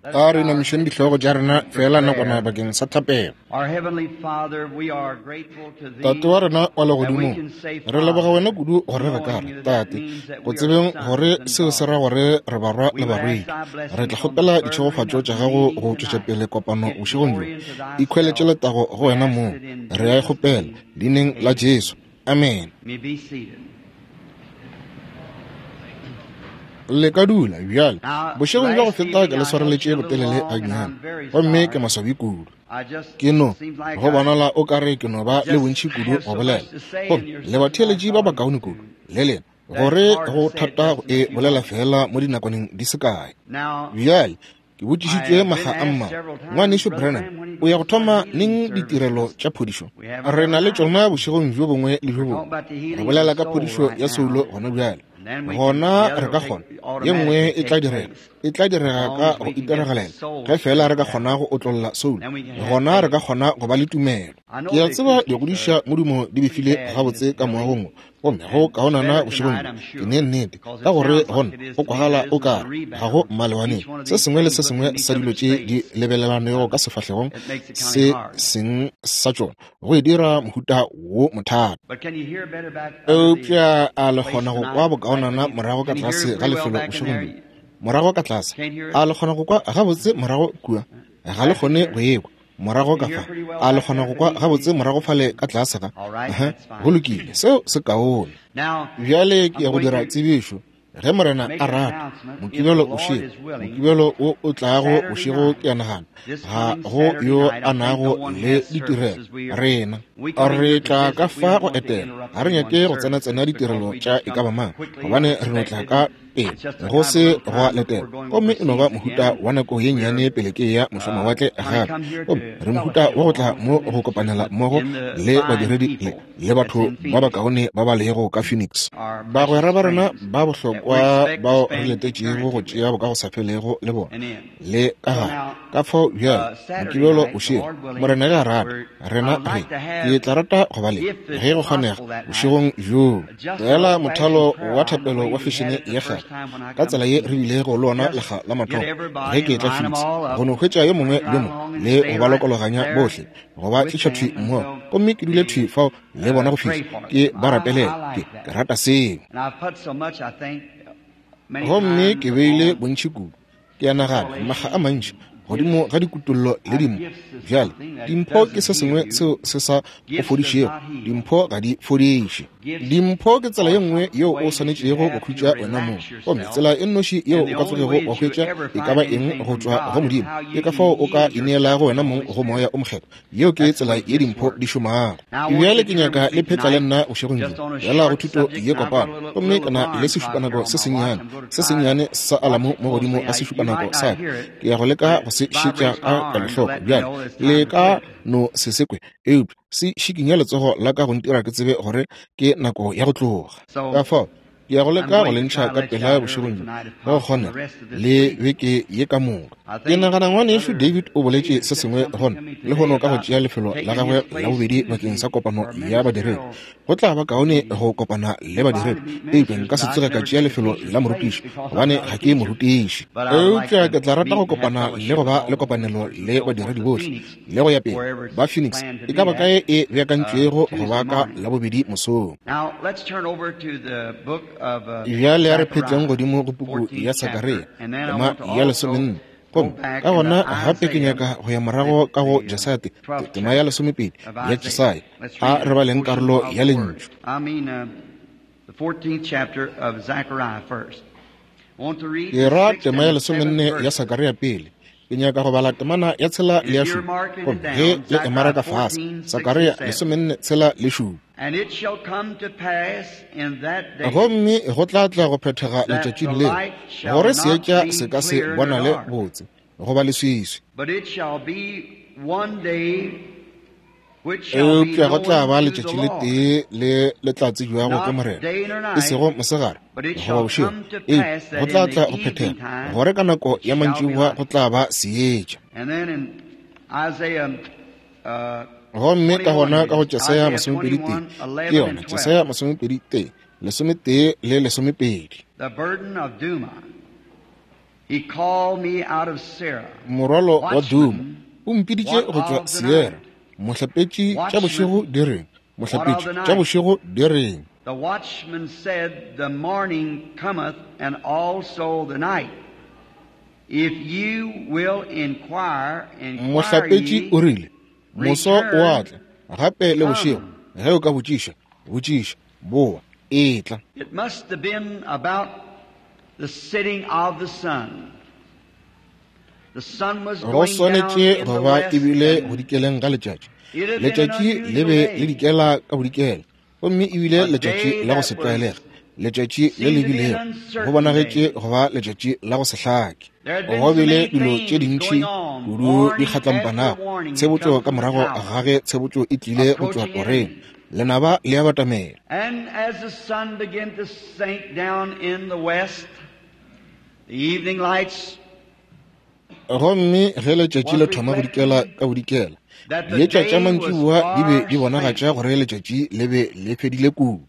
A re inamišeng dihlogo tša rena feela nakwana bakeng sa thapelo. Tate wa rena wa legodimong, re leboga wena kudu gore re ka re, Tate, go tsebeng gore seo se ra gore re barwa le barwedi. Re tla kgopela ditšhegofatšo tša gago go tšwetša pele kopano bošegong bjo. Ikhweletše letago go wena mong. Re a e kgopela, Leineng la Jesu. Amen. Le ka dula bjale. Bošegong bja go feta ke le swareletše botelele gannyane, gomme ke maswabi kudu. Ke no, go bonala o ka re ke no ba le bontši kudu go bolela. Gomme le batheeletši ba bakaone kudu, le lena, gore go thata go e bolela feela mo dinakwaneng di se kae. Bjale, Ke botšišitšwe makga a mmalwa, Ngwanešu Branham, o ya go thoma neng ditirelo tša phodišo? Re na le tšona bošegong bjo bongwe le bjo bongwe. Re bolela ka phodišo ya soulo gona bjale. Gona re ka kgona, ye nngwe e tla direga, e tla direga ka go itiragalela. Ge feela re ka kgona go otlolla soulo, gona re ka kgona go ba le tumelo. Ke a tseba digodiša modumo di befile gabotse ka moagong wo, gomme go kaonana bošegong bjo, ke ne nnete, ka gore gona go kwagala o ka re ga go mmalewaneng. Se sengwe le se sengwe sa dilo tše di lebelelanego ka sefahlegong se seng sa tšona, go e dira mohuta wo mothata. Eupša a le kgona go kwa bokaonana morago ka tlase ga lefelo bošegong bjo? Morago ka tlase, a le kgona go kwa gabotse morago kua? Ga le kgone go e kwa? Morago ka fa, a le kgona go kwa gabotse morago fale ka tlase ga? Aha, go lokile, seo se kaone. Bjale ke ya go dira tsebišo, ge Morena a rata, Mokibelo bošego, Mokibelo wo o tlago bošego, ke a nagana ga go yo a nago le ditirelo. Rena re tla ka fa go etela, ga re nyake go tsena-tsena ditirelo tša e ka ba mang, gobane re no tla ka pele go se gwa letela, gomme e no ba mohuta wa nako ye nnyane pele ke ya mošomawatle gape. Gomme re mohuta wa go tla mo go kopanela mmogo le badiredi le, le batho ba bakaone ba ba lego ka Phoenix, bagwera ba rena ba bohlokwa bao re letetšego go tšea bokagosafelego le bona le ka gare. Ka fao bjale, Mokibelo bošego, Morena ge a rata, rena re, ke tla rata go ba le, ge go kgonega, bošegong bjoo. Feela mothalo wa thapelo wa fešene ya kgale, ka tsela ye re bilego le ona lekga la mathomo ge ke etla Phoenix, go no hwetša yo mongwe le yo mongwe le go ba lokologanya bohle, go ba tliša thwi mmogo, gomme ke dule thwi fao le bona go fihla ke ba rapelela. Ke, ke rata seo. Gomme ke beile bontši kudu, ke a nagana, makga a mantši godimo ga dikutollo le dimpho. Bjale, dimpho ke se sengwe seo se sa go fodišego. Dimpho ga di fodiše. Dimpho ke tsela ye nngwe yeo o swanetšego go khutša wena mong. Gomme tsela e nnoši yeo o ka tsogego wa hwetša e ka ba eng go tšwa go Modimo, ke ka fao o ka ineelago wena mong go Moya o Mokgethwa. Yeo ke tsela ye dimpho di šomago. Bjale ke nyaka le phetla le nna bošegong bjo, bjala go thuto ye kopana. Gomme ke na le sešupanako se sennyane, se sennyane sa alamo mo godimo ga sešupanako sa ka. Ke ya go leka go se šetša ka kelohloko. Bjale, le ka no se se kwe, eupša se šikinya letsogo la ka go ntira ke tsebe gore ke nako ya go tloga. Ka fao, Ke ya go leka go le ntšha ka pela bošegong bjo, ge go kgonega, le beke ye ka moka. Ke nagana Ngwanešu David o boletše se sengwe gona lehono ka go tšea lefelo la gagwe la bobedi bakeng sa kopano ya badiredi. Go tla ba kaone go kopana le badiredi, eupša nka se tsoge ka tšea lefelo la morutiši, gobane ga ke morutiši. Eupša ke tla rata go kopana le go ba le kopanelo le badiredi bohle, le go ya pele, ba Phoenix, e ka ba kae e beakantšwego go ba ka Labobedi mosong. Bjale a re phetleng godimo go puku ya Sakaria, tema ya lesomenne. Gomme ka gona gape ke nyaka go ya morago ka go Jesaya, te, tema ya lesomepedi ya Jesaya. A re baleng karolo ya Lentšu. Ke ra tema ya lesomenne ya Sakaria pele. Ke nyaka go bala temana ya tshela le ya šupa. Gomme ge le emara ka fase, Sakaria lesomenne tshela le šupa. Gomme go tla tla go phethega letšatšing leo, gore seetša se ka se bonale botse, goba leswiswi. Eupša go tla ba letšatši le tee le le tla tsebjago ke Morena, e sego mosegare goba bošego, eupša go tla tla go phethega gore ka nako ya mantšiboa go tla ba seetša. Gomme ka gona ka go Jesaya masomepedi-tee, ke yona, Jesaya masomepedi-tee, lesometee le lesomepedi. Morwalo wa Duma o mpiditše go tšwa Sierra. Mohlapetši tša bošego di reng? Mohlapetši tša bošego di reng? The watchman said, The morning cometh and also the night. If you will inquire, inquire Mohlapetši o rile, Moso o a tla, gape le bošego, ge o ka botšiša, botšiša, boa, etla. It must have been about the setting of the sun. Go swanetše go ba e bile go dikeleng ga letšatši. Letšatši le be le dikela ka bodikela, gomme e bile letšatši la go se tlwaelege, letšatši le le bilego go bonagetše go ba letšatši la go se hlake. Go bile dilo tše dintši kudu di kgatlampanago, tshebotšo ka morago ga ge tshebotšo e tlile go tšwa toreng, lenaba le a batamela. And as the sun began to sink down in the west, the evening lights Gomme ge letšatši le thoma go dikela ka bodikela, dietša tša mantšiboa di be di bonagatša gore letšatši le be le fedile kudu.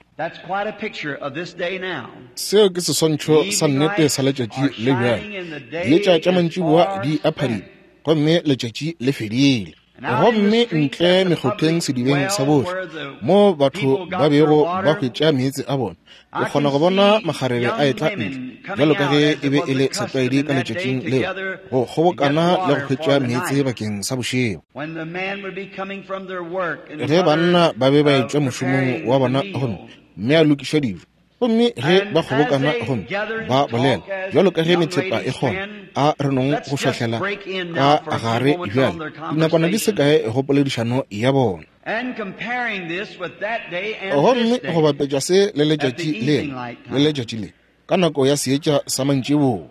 Seo ke seswantšho sa nnete sa letšatši le bjale. Dietša tša mantšiboa di a phadima, gomme letšatši le fedile. Gomme ntle mekgotheng sedibeng sa bohle, moo batho ba bego ba hwetša meetse a bona, ke kgona go bona makgarebe a etla ntle, bjalo ka ge e be e le setlwaedi ka letšatšing leo, go kgobokana le go hwetša meetse bakeng sa bošego. Ge banna ba be ba etšwa mošomong wa bona gomme mme a lokiša dijo, gomme ge ba kgobokana gomme ba bolela bjalo ka ge methepa e kgona, a re nong go šwahlela ka gare bjale dinakwana di se kae go poledišano ya bona. Gomme go bapetša se le letšatši le le letšatši le ka nako ya seetša sa mantšiboa,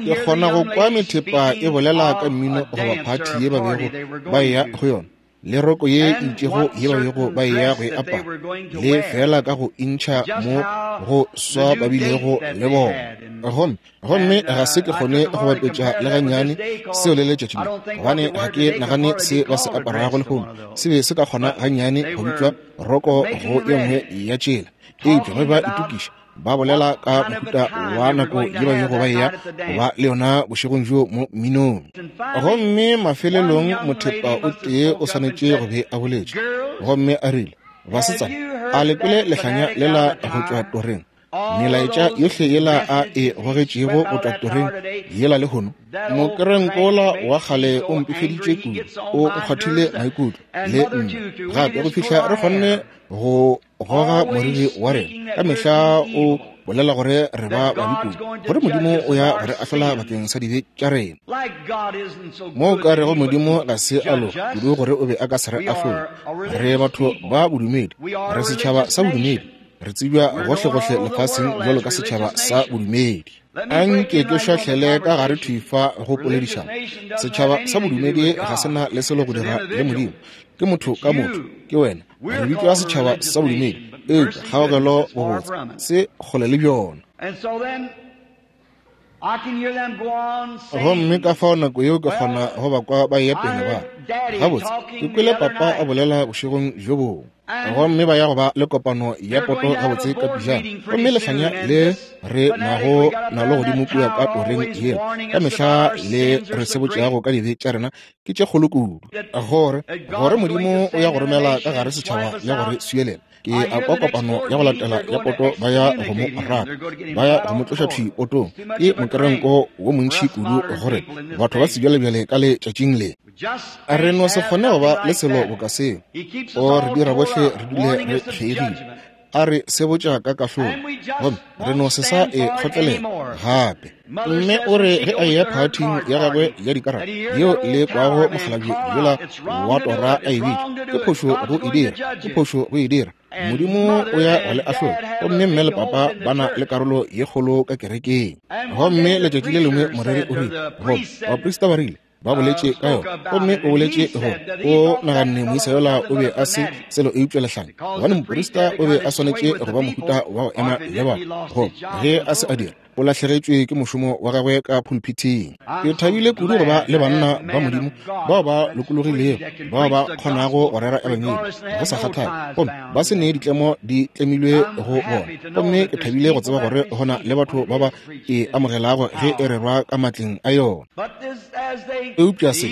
ke kgona go kwa methepa e bolela ka mmino goba phathi ye ba bego ba eya go yona, le roko ye e itšego ye ba bego ba eya go e apara, le fela ka go intšha mo go swa ba bilego le bona. Gomme ga se ke kgone go bapetša le gannyane seo le letšatši le, gobane ga ke nagane se ba se aparago lehono se be se ka kgona gannyane go bitšwa roko go ye nngwe ya tšela. Eupša ge ba itokiša, ba bolela ka mohuta wa nako ye ba bego ba eya go ba le yona bošegong bjo mo mminong. Gomme mafelelong mothepa o tee o swanetše go be a boletše, gomme a rile, Basetsana, a le kwele lehlanya lela go tšwa toreng? Melaetša yohle yela a e gogetšego go tšwa toreng yela lehono? Mokerenkola wa kgale o mpefeditše kudu, o nkgwathile maikutlo le nna gape go fihla re kgonne go goga moriri wa rena. Ka mehla o bolela gore re ba babe kudu, gore Modimo o ya go re ahlola bakeng sa dibe tša rena. Mo o ka rego Modimo ga se a loka kudu gore o be a ka se re ahlole. Re batho ba bodumedi, re setšhaba sa bodumedi, re tsebja gohlegohle lefaseng bjalo ka setšhaba sa bodumedi. Anke ke šwahlele ka gare thwi fa go poledišano. Setšhaba sa bodumedi ga se na le selo go dira le Modimo. Ke motho ka motho, ke wena. Re bitšwa setšhaba sa bodumedi, eupša kgaogelo bobotse se kgole le bjona. Gomme ka fao nako yeo ke kgona go ba kwa ba eya pele ba re, Gabotse, ke kwele papa a bolela bošegong bjo bongwe. Gomme ba ya go ba le kopano ya poto gabotse ka pejana. Gomme lehlanya le re nago nalo godimo kua ka toreng yela, ka mehla le re sebotšago ka dibe tša rena, ke tše kgolo kudu, gore gore Modimo o ya go romela ka gare setšhaba le go re swielela. Ke a kwa kopano ya go latela ya poto ba ya go mo raka, ba ya go mo tloša thwi potong. Ke mokerenko wo montši kudu gore batho ba sebjalebjale ka letšatšing le. Re no se kgone go ba le selo boka seo. O re dira bohle re dule re kgeigile. A re sebotša ka kahlolo, gomme re no se sa e kgotlelela gape. Mme o re ge a eya phathing ya gagwe ya dikarata yeo le kwago mokgalabje yola wa tora a e bitša, ke phošo go e dira, ke phošo go e dira. Modimo o ya go le ahlola. Gomme mme le papa ba na le karolo ye kgolo ka kerekeng. Gomme letšatši le lengwe moreri o rile, goba baprista ba rile, ba boletše ka yona, gomme o boletše gore o naganne moisa yola o be a se selo eupša lehlanya, gobane moprista o be a swanetše go ba mohuta wa go ema le batho, goba ge a se a dira, O lahlegetšwe ke mošomo wa gagwe ka pulpithing. Ke thabile kudu go ba le banna ba Modimo bao ba lokologilego, bao ba kgonago go rera ebangedi go sa kgathale, gomme ba se ne ditlemo di tlemilwe go bona. Gomme ke thabile go tseba gore go na le batho ba ba e amogelago ge e rerwa ka matleng a yona. Eupša se,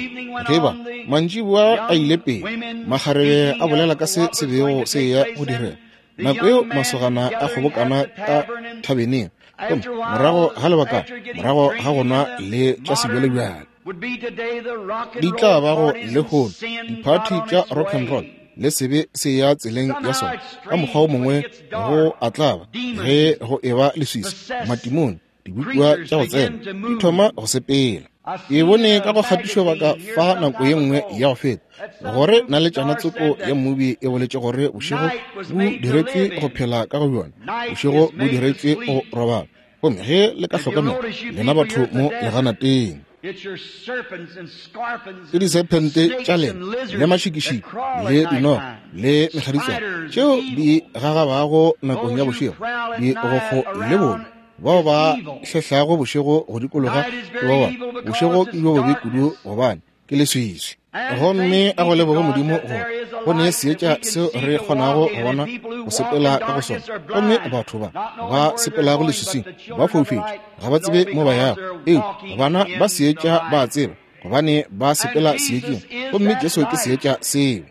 ge ba mantšiboa a ile pele, makgarebe a bolela ka se se bego se eya go direga. Nako yeo masogana a kgobokana ka thabeneng, gomme morago ga lebaka, morago ga go nwa le tša sebjalebjale, di tla ba go lehono diphathi tša rock and roll le sebe se ya tseleng ya sona. Ka mokgwa o mongwe go a tlaba ge go eba leswiswi, matimone, dibopiwa tša go tsena di thoma go sepela. Ke bone ka go kgatišobaka fa nako ye nngwe ya go feta gore naletšana tsoko ya mmobi e boletše gore bošego bo diretšwe go phela ka go bjona, bošego bo diretšwe go robala. Gomme ge le ka hlokomela, lena batho mo leganateng, ke disephente tša lena le mašikišiki le dinoga le mekgaditswana tšeo di gagabago nakong ya bošego, digokgo le bobe bao ba hlehlago bošego go dikologa ke ba bangwe. Bošego ke bjo bobe kudu gobane ke leswiswi. Gomme a go leboge Modimo gore go ne seetša seo re kgonago go bona go sepela ka go sona. Gomme batho ba ba sepelago leswiswing ba foufetše, ga ba tsebe mo ba yago. Eupša bana ba seetša ba a tseba, gobane ba sepela seetšeng. Gomme Jesu ke seetša seo.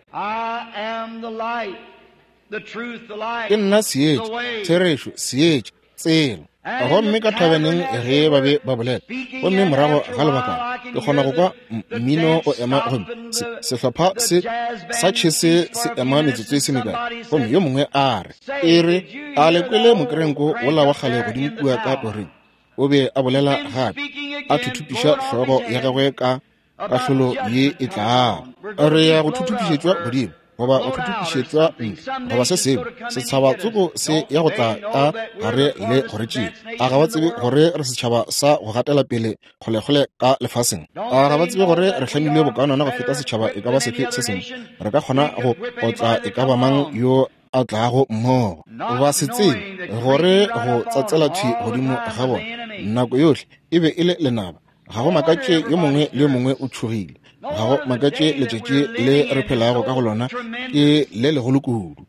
Ke nna seetša, therešo, seetša, tsela. Gomme ka thabeneng ge ba be ba bolela, gomme morago ga lebakana ke kgona go kwa mmino o ema, gomme sehlopha se sa tšhese se ema metsotso e se mekae, gomme yo mongwe a re, e re, a le kwele mokerenko wola wa kgale godimo kua ka toreng? O be a bolela gape, a thuthupiša hlogo ya gagwe ka kahlolo ye e tlago. Re ya go thuthupišetšwa godimo, goba go thuthupišetšwa ntle, goba se sengwe. Setšhaba tsoko se ya go tla ka gare le go re tšea. A ga ba tsebe gore re setšhaba sa go gatela pele kgolekgole ka lefaseng? A ga ba tsebe gore re hlamilwe bokaonana go feta setšhaba e ka ba sefe se sengwe? Re ka kgona go otla e ka ba mang yo a tlago mmogo. Ba se tsebe gore go tsatsela thwi godimo ga bona nako yohle e be e le lenaba. Ga go makatše yo mongwe le yo mongwe o tšhogile. Ga go makatše letšatši le re phelago ka go lona ke le legolo kudu.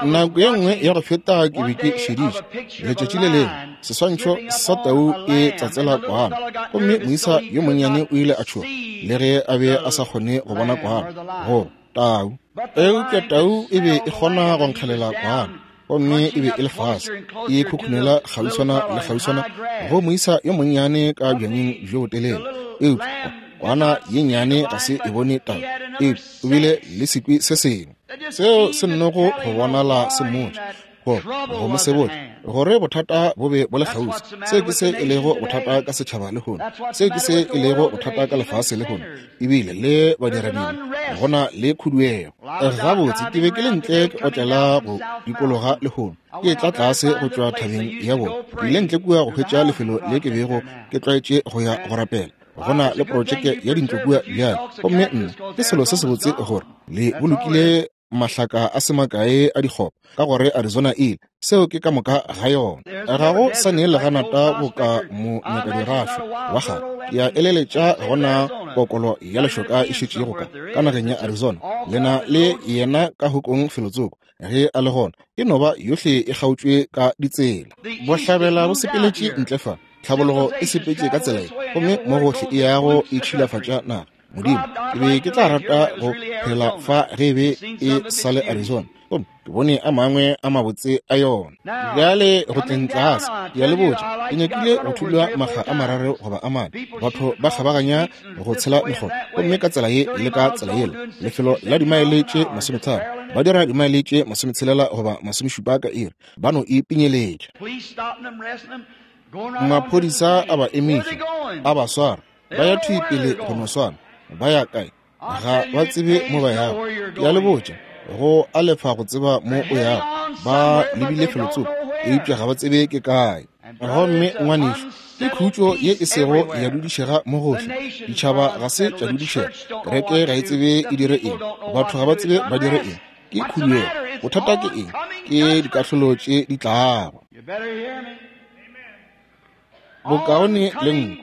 Nako ye nngwe ya go feta ke be ke šeditše letšatši le lengwe seswantšho sa tau e tsatsela kwana, gomme moisa yo monnyane o ile a tšhoga le ge a be a sa kgone go bona kwana goba tau. Eupša tau e be e kgona go nkgelela kwana, gomme e be e le fase e khukhunela kgauswana le kgauswana go moisa yo monnyane ka bjanyeng bjo botelele. Eupša kwana ye nnyane ga se e bone tau, eupša o bile le sekwi se sengwe seo se nnogo go bonala se mmotša gore go mo sebotša gore bothata bo be bo le kgauswi. Seo ke se e lego bothata ka setšhaba lehono, seo ke se e lego bothata ka lefase lehono, ebile le badiradibe go na le khuduego. Gabotse ke be ke le ntle ke otlela go dikologa lehono, ke tla tlase go tšwa thabeng ya bona. Ke ile ntle kua go hwetša lefelo le ke bego ke tlwaetše go ya go rapela. Go na le projeke ya dintlo kua bjale, gomme nna ke selo se sebotse gore le bolokile mahlaka a se makae a dikgopo, ka gore Arizona ile. Seo ke ka moka ga yona. Ga go sa ne leganata boka mo nyakadirašo wa kgale. Ke a eleletša gona kokolo ya lešoka e šetšego ka nageng ya Arizona. Le na le yena ka hokong felotsoko ge a le gona. E no ba yohle e kgaotšwe ka ditsela. Bohlabela bo sepeletše ntle fa, tlhabologo e sepetše ka tsela ye, gomme mo gohle e yago e tšhilafatša naga. Modimo, ke be ke tla rata go phela fa ge e be e sa le Arizona, gomme ke bone a mangwe a mabotse a yona. Bjale go tleng tlase, ke a le botša, ke nyakile go thulwa makga a mararo goba a mane. Batho ba kgabaganya go tshela mekgotha, gomme ka tsela ye le ka tsela yela, lefelo la dimaele tše 50, ba dira dimaele tše 60 goba 70 ka iri, ba no e pinyeletša. Maphodisa a ba emiša, a ba swara, ba ya thwi pele go no swana. Ba ya kae? Ga ba tsebe mo ba yago. Ke a le botša, go a lefa go tseba mo o yago. Ba lebile felotsoko, eupša ga ba tsebe ke kae. Gomme ngwanešu, ke khutšo ye e sego ya dudišega mo gohle. Ditšhaba ga se tša dudišega. Kereke ga e tsebe e dire eng. Batho ga ba tsebe ba dire eng. Ke khuduego. Bothata ke eng? Ke dikahlolo tše di tlago. Bokaone le nko,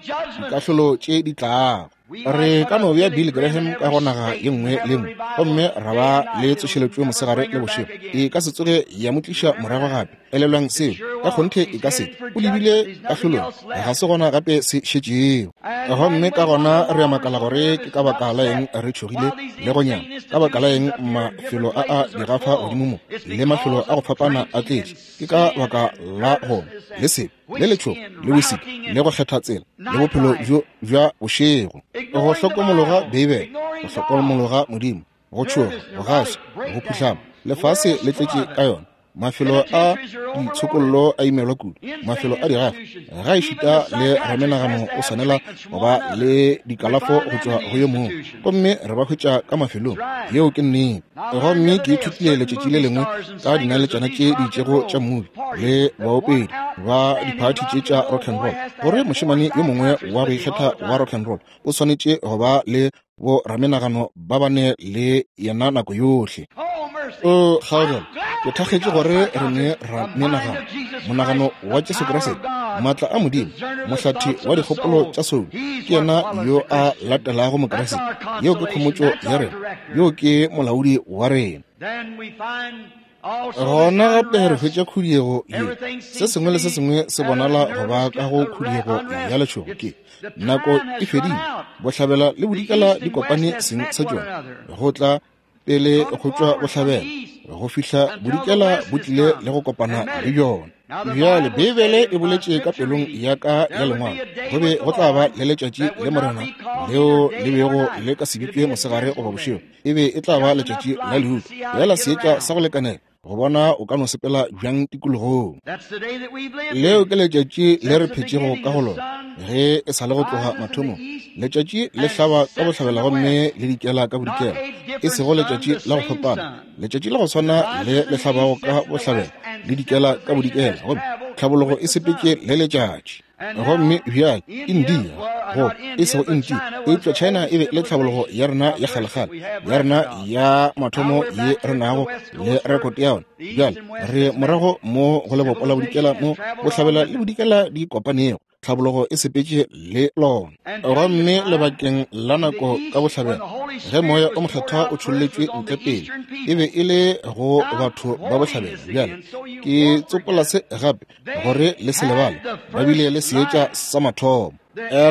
dikahlolo tše di tlago. Re ka no bea Bill Graham ka go naga ye nngwe le nngwe gomme ra ba le tsošeletšo mosegare le bošego, e ka se tsoge ya mo tliša morago gape. Elelwang seo, ka kgonthe e ka se. O lebile kahlolong, ga se gona gape se šetšego. Gomme ka gona re a makala gore ke ka baka la eng re tšhogile le go nyama, ka baka la eng mafelo a a digafa godimo mo le mafelo a go fapana a tletše. Ke ka baka la gona le sebe le letšhogo le bosiki le go kgetha tsela le bophelo bjo bja bošego, go hlokomologa Beibele, go hlokomologa Modimo, go tšhoga, go gaša, go phuhlama. Lefase le tletše ka yona. Mafelo a ditshokollo a imelwa kudu, mafelo a digafa, ga ešita le ramenagano o swanela go ba le dikalafo go tšwa go yo mongwe, gomme re ba hwetša ka mafelong. Yeo ke nnete. Gomme ke ithutile letšatši le lengwe ka dinaletšana tše di itšego tša mmubi le baopedi ba diphathi tše tša rock and roll, gore mošemane yo mongwe wa go ikgetha wa rock and roll o swanetše go ba le bo ramenagano ba bane le yena nako yohle. O kgaogelo, ke thakgetše gore re ne ramenagano, monagano wa Jesu Kriste, maatla a Modimo, mohlathi wa dikgopolo tša soulo, ke yena yo a latelago Mokriste. Yeo ke khomotšo ya rena, yo ke molaodi wa rena. Gona gape re hwetša khuduego ye. Se sengwe le se sengwe se bonala go ba ka go khuduego ya letšhogo. Ke nako e fedile, bohlabela le bodikela di kopane seng sa tšona, go tla pele go tšwa bohlabela go fihla bodikela bo tlile le go kopana le bjona. Bjale Beibele e boletše ka pelong ya ka ya lengwalo, go be go tla ba le letšatši le Morena leo le bego le ka se bitšwe mosegare goba bošego, e be e tla ba letšatši la leutu, bjala seetša sa go lekanela go bona o ka no sepela bjang tikologong. Leo ke letšatši le re phetšego ka go lona ge e sa le go tloga mathomong. Letšatši le hlaba ka bohlabela gomme le dikela ka bodikela, e sego letšatši la go fapana, letšatši la go swana le le hlabago ka bohlabela le dikela ka bodikela, gomme tlhabologo e sepetše le letšatši. Gomme bjale India, go e sego India, eupša China e be le tlhabologo ya rena ya kgalekgale, ya rena ya mathomo ye re nago le rekote ya yona. Bjale re morago mo go lebopo la bodikela mo bohlabela le bodikela di kopanego, tlhabologo e sepetše le lona. Gomme lebakeng la nako ka bohlabela, ge moya o mokgethwa o tšholletšwe ntle pele, e be e le go batho ba bohlabela. Bjale ke tsopola se gape gore le se lebale, ba bile le seetša sa mathomo,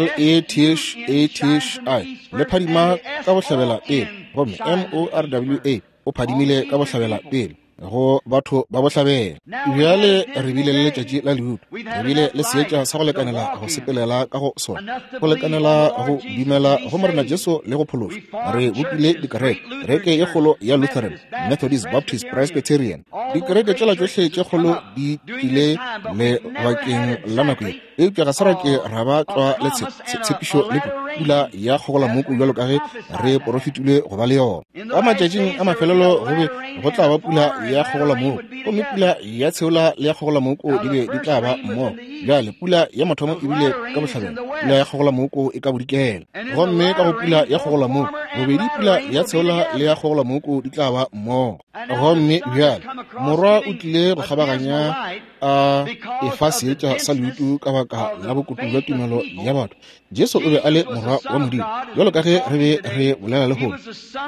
L-E-T-H-A-T-H-I, le phadima ka bohlabela pele, gomme M-O-R-W-A o phadimile ka bohlabela pele go batho ba bohlabela. Bjale re bile le letšatši la leutu, re bile le seetša sa go lekanela go sepelela ka go sona, go lekanela go dumela go Morena Jesu le go phološwa. Re bopile dikereke, kereke ye kgolo ya Lutheran, Methodist, Baptist, Presbyterian. Dikereke tšela tšohle tše kgolo di tlile lebakeng la nako ye, eupša ga se ra ke ra ba tlwa le tshepišo le pula ya kgogolamoku bjalo ka ge re porofetilwe go ba le yona. Ka matšatšing a mafelelo go be go tla ba pula ya kgogolamoku, gomme pula ya tsheola le ya kgogolamoku di be di tla ba mmogo. Bjale pula ya mathomo e bile ka bohlabela, pula ya kgogolamoku e ka bodikela, gomme ka go pula ya kgogolamoku bobedi pula ya tsheola le ya kgogolamoku di tla ba mmogo. Gomme bjale morwa o tlile go kgabaganya a efa seetša sa leutu ka baka la bokutu bja tumelo ya batho. Jesu o be a le morwa wa Modimo, bjalo ka ge re be re bolela lehono.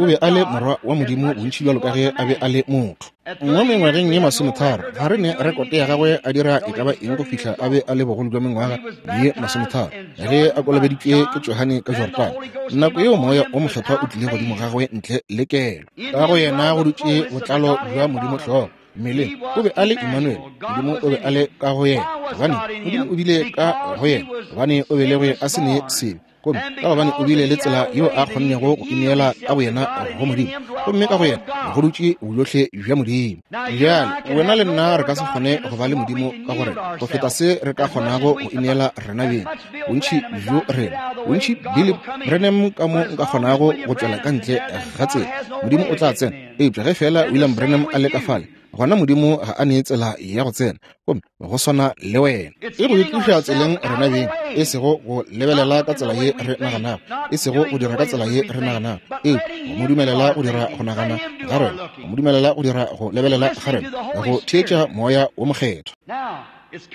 O be a le morwa wa Modimo bontši bjalo ka ge a be a le motho. Mo mengwageng ye 30, ga re ne rekote ya gagwe a dira e ka ba eng go fihla a be a le bogolo bja mengwaga ye 30, ge a kolobeditšwe ke Johane ka Jordane. Nako yeo moya o mokgethwa o tlile godimo gagwe ntle le kelo. Ka go yena go dutše botlalo bja Modimo hlogo mmeleng. O be a le Emmanuel, Modimo o be a le ka go yena, gobane Modimo o bile ka go yena, gobane o belegwe a se ne sebe, gomme ka gobane o bile le tsela yeo a kgonnego go ineela ka boyena go Modimo, gomme ka go yena go dutše bojohle bja Modimo. Bjale wena le nna re ka se kgone go ba le Modimo ka gore go feta se re ka kgonago go ineela rena beng. Bontši bjo rena, bontši Billy Branham ka mo nka kgonago go tšwela ka ntle ga tsela, Modimo o tla tsena. Eupša ge fela William Branham a le ka fale, gona Modimo ga a nee tsela ya go tsena, gomme go swana le wena. E go itloša tseleng rena beng, e sego go lebelela ka tsela ye re naganago, e sego go dira ka tsela ye re naganago, eupša go mo dumelela go dira go nagana ga rena, go mo dumelela go dira go lebelela ga rena, go theetša Moya wo Mokgethwa.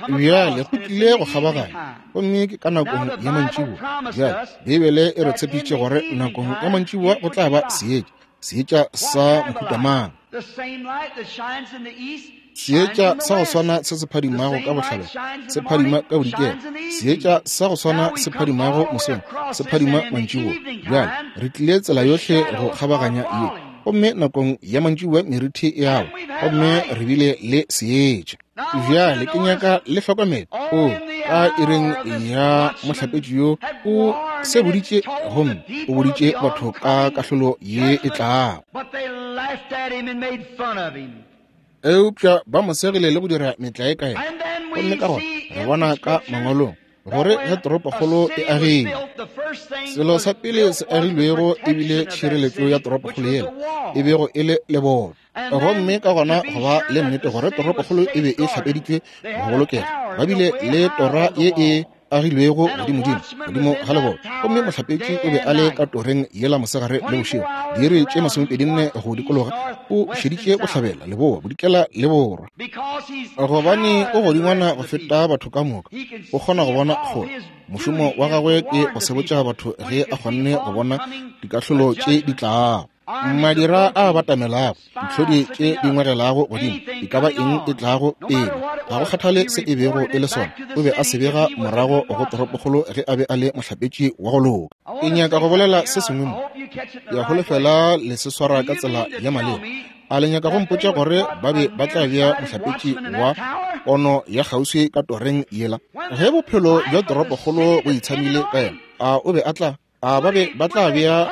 Bjale go tlile go kgabaganya, gomme ke ka nakong ya mantšiboa. Bjale Beibele e re tshepišitše gore nakong ya mantšiboa go tla ba seetša. Seetša sa mohuta mang? Seetša sa go swana se se phadimago ka bohlabela se phadima ka bodikela. Seetša sa go swana se phadimago mosong se phadima mantšiboa. Bjale re tlile tsela yohle go kgabaganya ye, gomme nakong ya mantšiboa merithi e awa, gomme re bile le seetša. Bjale ke nyaka le hlokomele. O ka iring ya mohlapetši yo o se boditše, gomme o boditše batho ka kahlolo ye e tlago. Eupša ba mo segile le go dira metlae ka yena. Gomme ka gona re bona ka mangwalong gore ge toropokgolo e agilwe, selo sa pele se agilwego e bile tšhireletšo ya toropokgolo yela e bego e le leboto. Gomme ka gona go ba le nnete gore toropokgolo e be e hlapeditšwe go bolokega, ba bile le tora ye e agilwego godimodimo godimo ga leboto, gomme mohlapetši o be a le ka toreng yela mosegare le bošego diiri tše 24 go dikologa, o šeditše bohlabela, leboa, bodikela le borwa. Gobane o godingwana go feta batho ka moka, o kgona go bona kgole. Mošomo wa gagwe ke go sebotša batho ge a kgonne go bona dikahlolo tše di tlago, madira a batamelago, ditlhodi tše di ngwegelago godimo, e ka ba eng e tlago pele, ga go kgathale se e bego e le sona, o be a se bega morago go toropokgolo ge a be a le mohlapetši wa go loka. Ke nyaka go bolela se sengwe mo, ke a holofela le se swara ka tsela ya maleba. A le nyaka go mpotša gore ba be ba tla bea mohlapetši wa pono ya kgauswi ka toreng yela ge bophelo bja toropokgolo bo itshamile ka yena? A o be a tla A ba be ba tla bea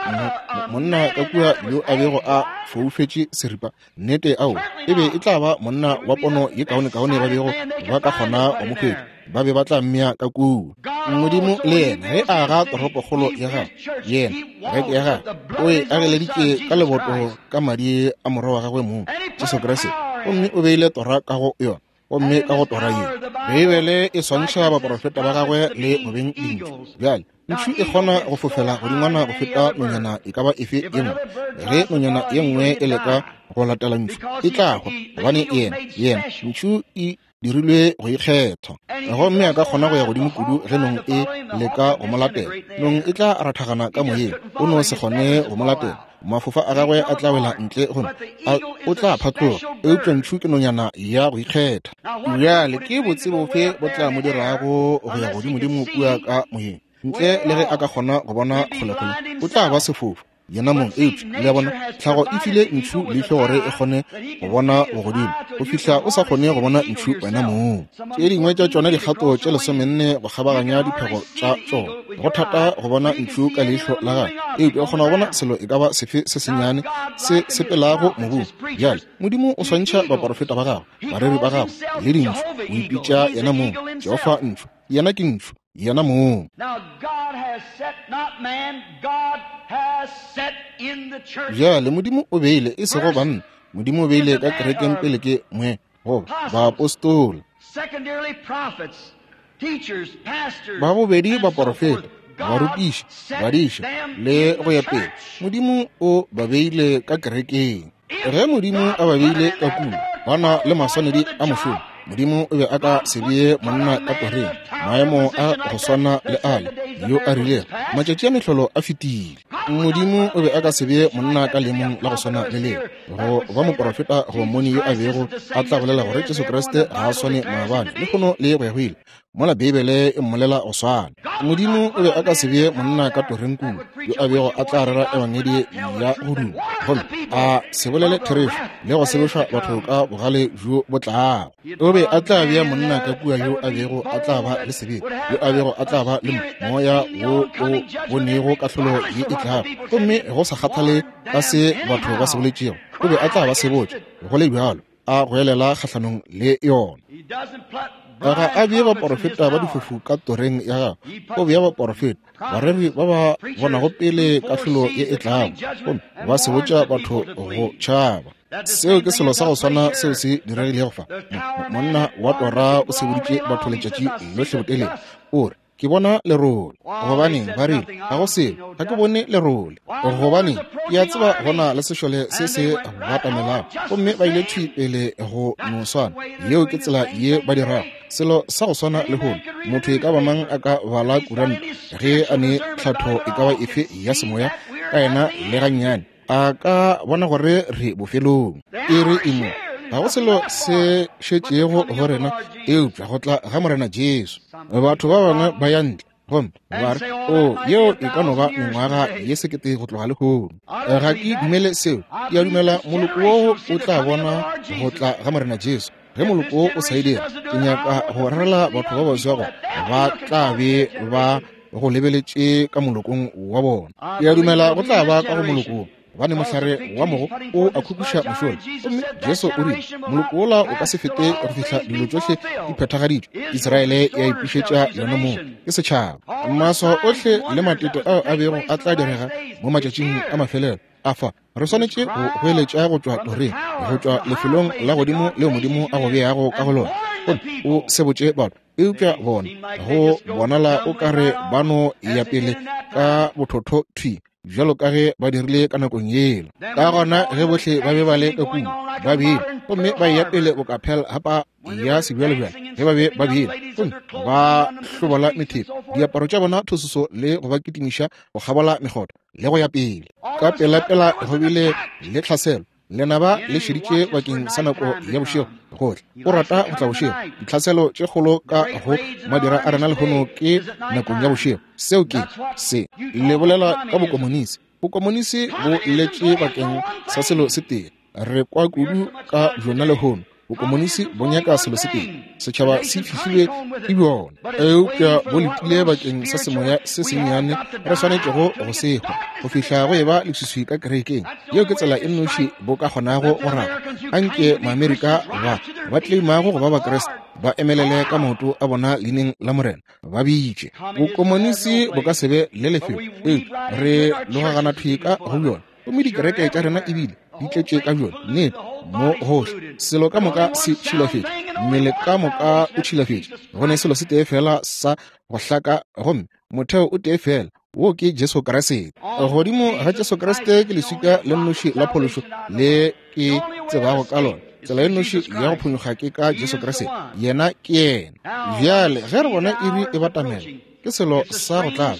monna ka kua yo a bego a foufetše seripa? Nnete ao, e be e tla ba monna wa pono ye kaonekaone ba bego ba ka kgona go mo hwetša. Ba be ba tla mmea ka kua. Modimo le yena ge a aga toropokgolo ya gagwe, yena kereke ya gagwe, o e ageleditše ka leboto ka madi a morwa wa gagwe mong, Jesu Kriste, gomme o beile tora ka go yona. Gomme ka go tora ye, Beibele e swantšha baporofeta ba gagwe le go beng dintšu. Bjale, ntšhu e kgona go fofela godingwana go feta nonyana e ka ba efe ye nngwe. Ge nonyana ye nngwe e leka go latela ntšhu, e tla hwa, gobane yena, yena, ntšhu e dirilwe go ikgetha. Gomme a ka kgona go ya godimo kudu ge nong e leka go mo latela. Nong e tla rathagana ka moyeng, o no se kgone go mo latela. Mafofa a gagwe a tla wela ntle gomme o tla phatloga. Eupša ntšhu ke nonyana ya go ikgetha. Bjale ke botse bofe bo tla mo dirago go ya godimodimo kua ka moyeng? Ntle le ge a ka kgona go bona kgolekgole, o tla ba sefofu yena mong. Eupša le a bona, tlhago e file ntšhu leihlo gore e kgone go bona bogodimo go fihla o sa kgone go bona ntšhu wena mong. Tše dingwe tša tšona dikgato tše 14 go kgabaganya diphego tša tšona. Go thata go bona ntšhu ka leihlo la gagwe, eupša o kgona go bona selo e ka ba sefe se sennyane se sepelago mobung. Bjale Modimo o swantšha baporofeta ba gagwe, bareri ba gagwe le dintšhu. O ipitša yena mong Jehofa ntšhu. Yena ke ntšhu, yena mong. Bjale Modimo o beile, e sego banna, Modimo o beile ka kerekeng pele ke mwe goba baapostola, ba bobedi baporofeta, barutiši, badiša le go ya pele. Modimo o ba beile ka kerekeng. Ge Modimo a ba beile ka kua, ba na le maswanedi a mošomo. Modimo o be a ka se bee monna ka toreng maemo a go swana le ale yo a rilego, matšatši a mehlolo a fetile. Modimo o be a ka se bee monna ka leemong la go swana le leo, go ba moporofeta goba mmoni yo a bego a tla bolela gore Jesu Kriste ga a swane maabane, lehono le go ya go ile, mola Beibele e mmolela go swana. Modimo o be a ka se bee monna ka toreng kua yo a bego a tla rera ebangedi ya go duma gomme a se bolele therešo le go sebešwa batho ka bogale bjo bo tlago. O be a tla bea monna ka kua yo a bego a tla ba le sebete, yo a bego a tla ba le moya wo o bonego kahlolo ye e tlago, gomme go sa kgathale ka se batho ba se boletšego, o be a tla ba sebotša go le bjalo, a goelela kgahlanong le yona. Ga a bee baporofeta ba difofu ka toreng ya gagwe, o bea baporofeta, bareri ba ba bonago pele kahlolo ye e tlago, gomme ba sebotša batho go tšhaba. Seo ke selo sa go swana seo se diregilego fa. Monna wa tora o seboditše batho letšatši lohle botelele, o re, Ke bona lerole. Gobaneng, ba rile, ga go selo, ga ke bone lerole. Gobaneng, ke a tseba go na le sešole se se batamelago. Gomme ba ile thwi pele go no swana. Yeo ke tsela ye ba dirago. Selo sa go swana lehono, motho e ka ba mang a ka bala kuranta ge a ne tlhatho e ka ba efe ya semoya ka yena le gannyane, a ka bona gore re bofelong. Iri e mo, ga go selo se šetšego go rena eupša go tla ga Morena Jesu. Batho ba bangwe ba ya ntle gomme ba re, O, yeo e ka no ba mengwaga ye sekete go tloga lehono. Ga ke dumele seo. Ke a dumela moloko woo o tla bona go tla ga Morena Jesu. Ge moloko wo o sa e dira, ke nyaka go rerela batho ba baswa gore ba tla be ba go lebeletše ka molokong wa bona. Ke a dumela go tla ba ka go moloko wo, gobane mohlare wa mogo o a khukhuša mošola. Gomme Jesu o rile, Moloko wola o ka se fete go fihla dilo tšohle di phethagaditšwe. Israele ya ipušetša yona mong, ke setšhaba. Maswao ohle le matete ao a bego a tla direga mo matšatšing a mafelelo a fa, re swanetše go goeletša go tšwa toreng, go tšwa lefelong la godimo leo Modimo a go beago ka go lona, gomme o sebotše batho. Eupša bona, go bonala o ka re ba no ya pele ka bothotho thwi bjalo ka ge ba dirile ka nakong yela. Ka gona ge bohle ba be ba le ka kua, ba bile, gomme ba eya pele boka Pearl Harbor ya sebjalebjale, ge ba be ba bile, gomme ba hlobola methepo, diaparo tša bona thososo le go ba kitimiša go kgabola mekgotha le go ya pele. Ka pelapela go bile le tlhaselo. Lenaba le šeditše bakeng sa nako ya bošego gohle. O rata go tla bošego. Ditlhaselo tše kgolo ka go madira a rena lehono ke nakong ya bošego. Seo ke se le bolela ka bokomonisi. Bokomonisi bo letše bakeng sa selo se tee. Re kwa kudu ka bjona lehono. Bokomonisi bo nyaka selo se tee. Setšhaba se fihlilwe ke bjona, eupša bo letile bakeng sa semoya se sennyane re swanetšego go se hwa go fihla go eba leswiswi ka kerekeng. Yeo ke tsela e nnoši bo ka kgonago go raga. Anke Maamerika ba ba tleimago go ba Bakriste ba emelele ka maoto a bona leineng la Morena, ba bitše. Bokomonisi bo ka se be le lefelo, eupša re logagana thwi ka go bjona. Gomme dikereke tša rena ebile di tletše ka bjona, nnete, mo gohle. Selo ka moka se tšhilafetše, mmele ka moka o tšhilafetše. Go ne selo se tee feela sa go hlaka, gomme motheo o tee feela, wo ke Jesu Kriste. Godimo ga Jesu Kriste ke leswika le nnoši la phološo le ke tsebago ka lona. Tsela e nnoši ya go phonyokga ke ka Jesu Kriste. Yena ke yena. Bjale ge re bona iri e batamela, ke selo sa go tlaba.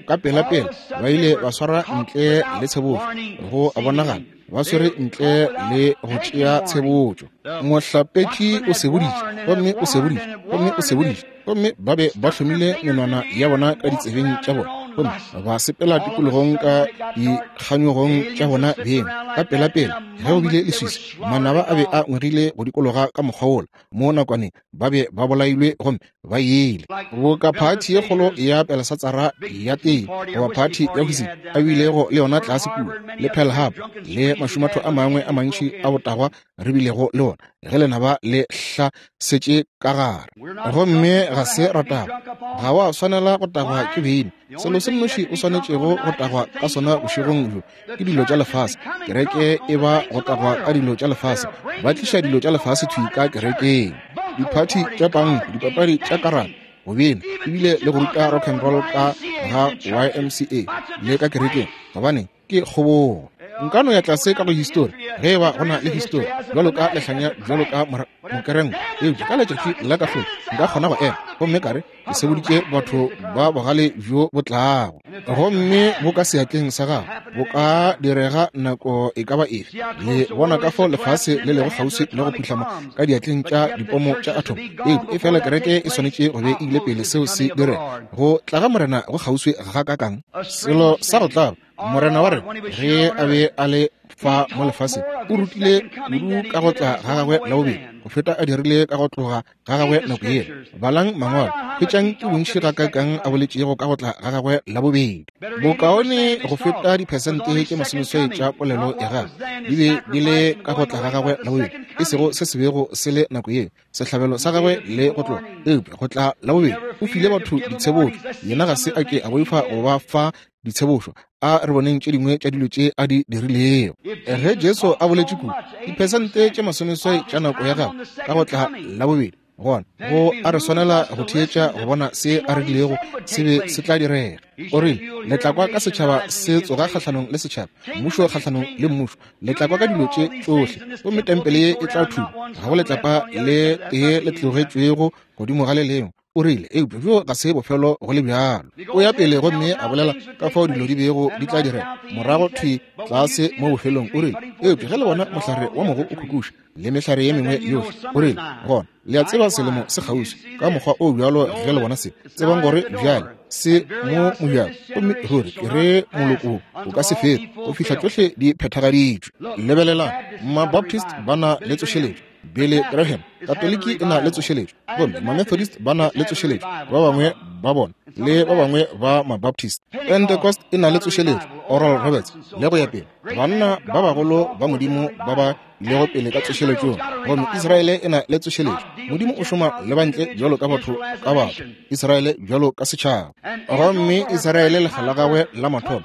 Ka pelapela ba ile ba swara ntle le tshebotšo, go a bonagala ba swere ntle le go tšea tshebotšo. Mohlapetši o seboditše, gomme o seboditše, gomme o seboditše, gomme ba be ba hlomile menwana ya bona ka ditsebeng tša bona, gomme ba sepela tikologong ka dikganyogong tša bona beng. Ka pelapela ge go bile leswiswi, manaba a be a ngwegile go dikologa ka mokgwa wola. Mo nakwaneng ba be ba bolailwe gomme ba ile boka phathi ye kgolo ya Belesatsara ya tee goba phathi ya whisky a bilego le yona tlase kua, le Pearl Harbor le mašumatho a mangwe a mantši a botagwa re bilego le ona ge lenaba le hlasetše ka gare. Gomme ga se ra tagwa. Ga wa swanela go tagwa ke beine. Selo se nnoši o swanetšego go tagwa ka sona bošegong bjo ke dilo tša lefase. Kereke e ba go tagwa ka dilo tša lefase. Ba tliša dilo tša lefase thwi ka kerekeng. Diphathi tša panko, dipapadi tša karata, go bina, ebile le go ruta rock and roll ka ga YMCA le ka kerekeng. Gobaneng, ke kgobogo. Nka no ya tlase ka go histori, ge eba go na le histori, bjalo ka lehlanya, bjalo ka mokerengo, eupša ka letšatši la kahlolo nka kgona go ema gomme ka re, Ke seboditše batho ba bogale bjo bo tlago, gomme bo ka seatleng sa gago, bo ka direga nako e ka ba efe. Le bona ka fao lefase le lego kgauswi le go phuhlama ka diatleng tša dipomo tša atom, eupša efela kereke e swanetše go be e ile pele seo se direga. Go tla ga Morena go kgauswi gakaakang? Selo sa go tlaba, Morena wa rena ge a be a le fa mo lefaseng o rutile kudu ka go tla ga gagwe la bobedi go feta a dirile ka go tloga ga gagwe nako yela. Balang Mangwalo, hwetšang ke bontši gakaakang a boletšego ka go tla ga gagwe la bobedi. Bokaone go feta diphesente tše masomeswai tša polelo ya gagwe di be di le ka go tla ga gagwe la bobedi, e sego se se bego se le nako yeo, sehlabelo sa gagwe le go tloga, eupša go tla la bobedi o file batho ditshebotšo. Yena ga se a ke a boifa go ba fa ditshebošo. A re boneng tše dingwe tša dilo tše a di dirilego. Ge Jesu a boletše kudu, diphesente tše masomeswai tša nako ya gagwe ka go tla la bobedi Gona go a re swanela go theetša go bona se a rilego se be se tla direga. O rile, Le tla kwa ka setšhaba se tsoga kgahlanong le setšhaba, mmušo kgahlanong le mmušo. Le tla kwa ka dilo tše tšohle, gomme tempele ye e tla thubja. Ga go letlapa le tee le tlogetšwego godimo ga le lengwe. O rile, Eupša bjo ga se bofelo go le bjalo. O ya pele gomme a bolela ka fao dilo di bego di tla direga morago thwi tlase mo bofelong. O rile, Eupša ge le bona mohlare wa mogo o khukuša, le mehlare ye mengwe yohle, o rile, gona le a tseba selemo se kgauswi. Ka mokgwa o bjalo ge le bona se, tsebang gore bjale se mo mojako. Gomme ruri ke re moloko o ka se fete go fihla tšohle di phethagaditšwe. Lebelelang, Mabaptist ba na le tsošeletšo, Billy Graham, Katoliki e na le tsošeletšo, gomme Mamethodist ba na le tsošeletšo, ba bangwe ba bona, le ba bangwe ba Mabaptist. Pentecost e na le tsošeletšo, Oral Roberts, le go ya pele, banna ba bagolo ba Modimo ba ba ilego pele ka tsošeletšong. Gomme Israele e na le tsošeletšo. Modimo o šoma le bantle bjalo ka batho ka batho, Israele bjalo ka setšhaba. Gomme Israele lekga la gagwe la mathomo,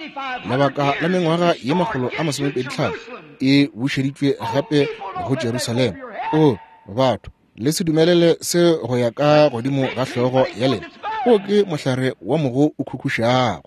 lebaka la mengwaga ye 125, e bušeditšwe gape go Jerusalema. O batho, le se dumelele se go ya ka godimo ga hlogo ya lena. O ke mohlare wa mogo o khukhušago.